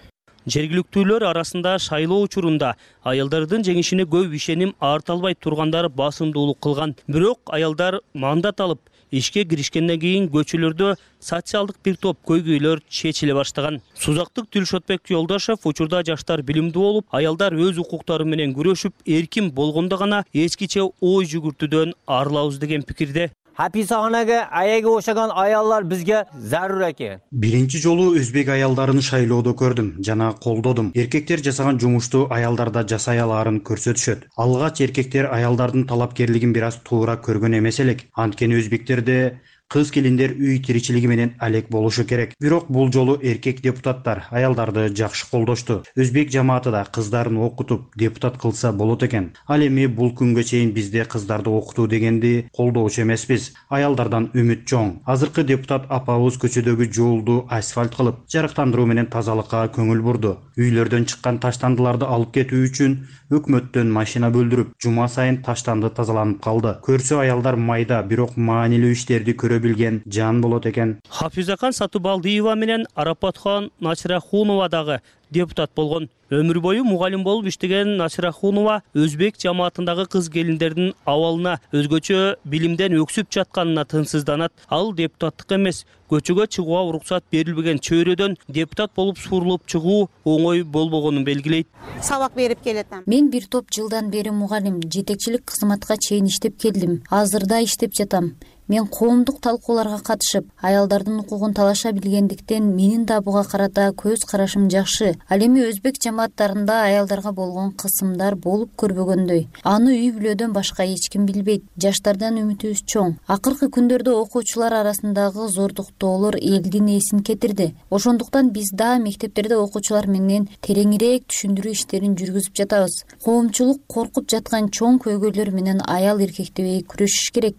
Жергиликтүүлөр арасында шайлоо учурунда аялдардын жеңишине көп ишеним арта албай тургандар басымдуулук кылган. Бирок аялдар мандат алып, ишке киришкенден кийин көчөлөрдө социалдык бир топ көйгөйлөр чечиле баштаган. Сузактык Дилшотбек Жолдошев учурда жаштар билимдүү болуп, аялдар өз укуктары менен күрөшүп, эркин болгондо гана эскиче ой жүгүртүүдөн арылабыз деген пикирде. Хаписаханага аяга ошогон аялдар бизге зарур экен. Биринчи жолу өзбек аялдарын шайлоодо көрдүм жана колдодум. Эркектер жасаган жумушту аялдар да жасай алаарын көрсөтүшөт. Алгач эркектер аялдардын талапкерлигин бир аз туура көргөн эмес элек. Анткени өзбектерде кыз келиндер үй тиричилиги менен алек болушу керек. Бирок бул жолу эркек депутаттар аялдарды жакшы колдошту. Өзбек жамааты да кыздарын окутуп депутат кылса болот экен. Ал эми бул күнгө чейин бизде кыздарды окутуу дегенди колдоочу эмеспиз. Аялдардан үмүт чоң. Азыркы депутат апабыз көчөдөгү жолду асфальт кылып, жарыктандыруу менен тазалыкка көңүл бурду. Үйлөрдөн чыккан таштандыларды алып кетүү үчүн өкмөттөн машина бөлдүрүп, жума сайын таштанды тазаланып калды. Көрсө аялдар майда, бирок маанилүү иштерди көрө билген жан болот экен. Хафизакан Сатыбалдиева менен Арапатхан Насирахунова дагы депутат болгон. Өмүр бою мугалим болуп иштеген Насирахунова өзбек жамаатындагы кыз келиндердин абалына, өзгөчө билимден өксүп жатканына тынсызданат. Ал депутаттык эмес, көчөгө чыгууга уруксат берилбеген чөйрөдөн депутат болуп сурулуп чыгуу оңой болбогонун белгилейт. Сабак берип келетем. Мен бир топ жылдан бери мугалим, жетекчилик кызматка чейин иштеп келдим. Азырда иштеп жатам. Мен коомдук талкууларга катышып, аялдардын укугун талаша билгендиктен менин да буга карата көз карашым жакшы. Ал эми өзбек жамааттарында аялдарга болгон кысымдар болуп көрбөгөндөй. Аны үй бүлөдөн башка эч ким билбейт. Жаштардан үмүтүбүз чоң. Акыркы күндөрдө окуучулар арасындагы зордуктоолор элдин эсин кетирди. Ошондуктан биз да мектептерде окуучулар менен тереңирээк түшүндүрүү иштерин жүргүзүп жатабыз. Коомчулук коркуп жаткан чоң көйгөйлөр менен аял эркектебей күрөшүш керек.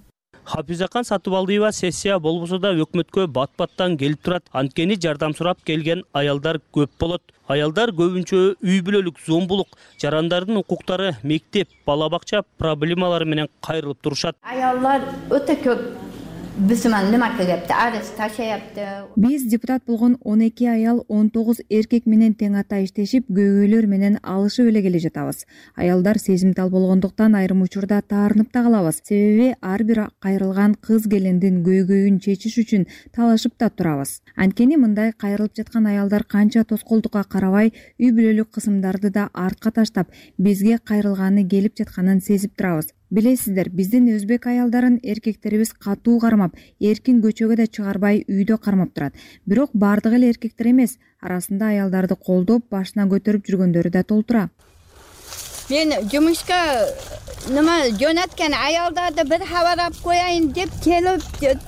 Хафизакан Сатыбалдиева сессия болбосо да өкмөткө бат-баттан келип турат. Анткени жардам сурап келген аялдар көп болот. Аялдар көбүнчө үй бүлөлүк зомбулук, жарандардын укуктары, мектеп, бала бакча проблемалары менен кайрылып турушат. Аялдар өтө көп бизмен нема кылыпты, арыз ташаяпты. Биз депутат болгон он эки аял он тогуз эркек менен тең ата иштешип, көйгөйлөр менен алышып эле келе жатабыз. Аялдар сезимтал болгондуктан айрым учурда таарынып да калабыз. Себеби ар бир кайрылган кыз келиндин көйгөйүн чечиш үчүн талашып да турабыз. Анткени мындай кайрылып жаткан аялдар канча тоскоолдукка карабай, үй бүлөлүк кысымдарды да артка таштап, бизге кайрылганы келип жатканын сезип турабыз. Билесиздер, биздин өзбек аялдарын эркектерибиз катуу кармап, эркин көчөгө да чыгарбай үйдө кармап турат. Бирок бардыгы эле эркектер эмес, арасында аялдарды колдоп, башына көтөрүп жүргөндөрү да толтура. Мен жумушка nima jo'natgan ayollarni bir xabarlab qo'yayin deb kelib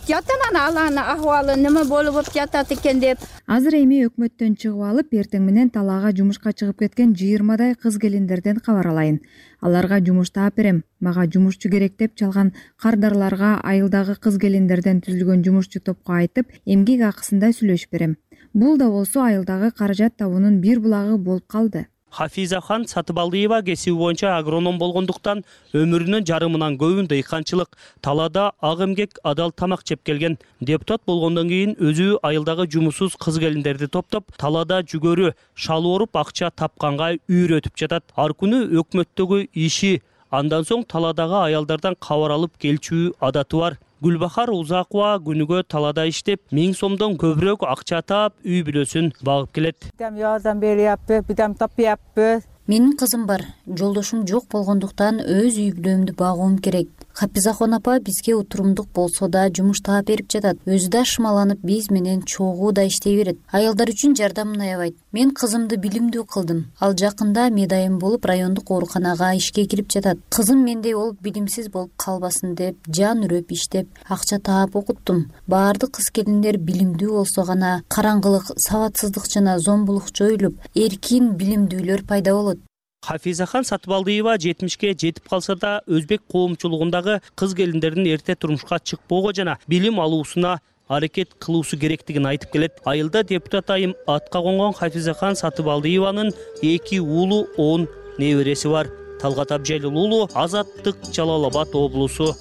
yotaman, alani ahvoli nima bo'lib жатат ekan deb. Азыр эми өкмөттөн чыгып алып, эртең менен талаага жумушка чыгып кеткен жыйырмадай кыз келиндерден кабар алайын. Аларга жумуш таап берем. Мага жумушчу керек деп чалган кардарларга айылдагы кыз келиндерден түзүлгөн жумушчу топко айтып, эмгек акысында сүйлөшүп берем. Бул да болсо айылдагы каражат табуунун бир булагы болуп калды. Хафизахан Сатыбалдиева кесиби боюнча агроном болгондуктан өмүрүнүн жарымынан көбүн дыйканчылык, талаада ак эмгек, адал тамак жеп келген. Депутат болгондон кийин өзү айылдагы жумушсуз кыз келиндерди топтоп, талаада жүгөрү, шал оруп акча тапканга үйрөтүп жатат. Ар күнү өкмөттөгү иши, андан соң талаадагы аялдардан кабар алып келчүү адаты бар. Гүлбахар Узакова күнүгө талаада иштеп, миң сомдон көбүрөөк акча таап, үй бүлөсүн багып келет. Бирдем жардам берип, бирдем тапыппыз. Менин кызым бар, жолдошум жок болгондуктан өз үй бүлөмдү багуум керек. Хапизахон апа бизге утурумдук болсо да жумуш таап берип жатат. Өзү да шымаланып биз менен чогуу да иштей берет. Аялдар үчүн жардамын аябайт. Мен кызымды билимдүү кылдым. Ал жакында медайым болуп райондук ооруканага ишке кирип жатат. Кызым мендей болуп билимсиз болуп калбасын деп жан үрөп иштеп, акча таап окуттум. Баардык кыз келиндер билимдүү болсо гана караңгылык, сабатсыздык жана зомбулук жоюлуп, эркин билимдүүлөр пайда болот. Хафизахан Сатыбалдиева жетимишке жетип калса да өзбек коомчулугундагы кыз келиндердин эрте турмушка чыкпоого жана билим алуусуна аракет кылуусу керектигин айтып келет. Айылда депутат айым атка конгон Хафизахан Сатыбалдиеванын эки уулу, он небереси бар. Талгат Абжайлуулу, Азаттык, Жалал Абад облусу.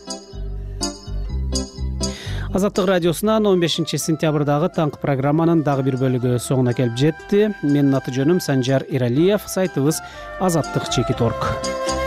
Азаттык радиосунан он бешинчи сентябрдагы таңкы программанын дагы бир бөлүгү соңуна келип жетти. Менин аты жөнүм Санжар Иралиев, сайтыбыз азаттык чекит точка орг.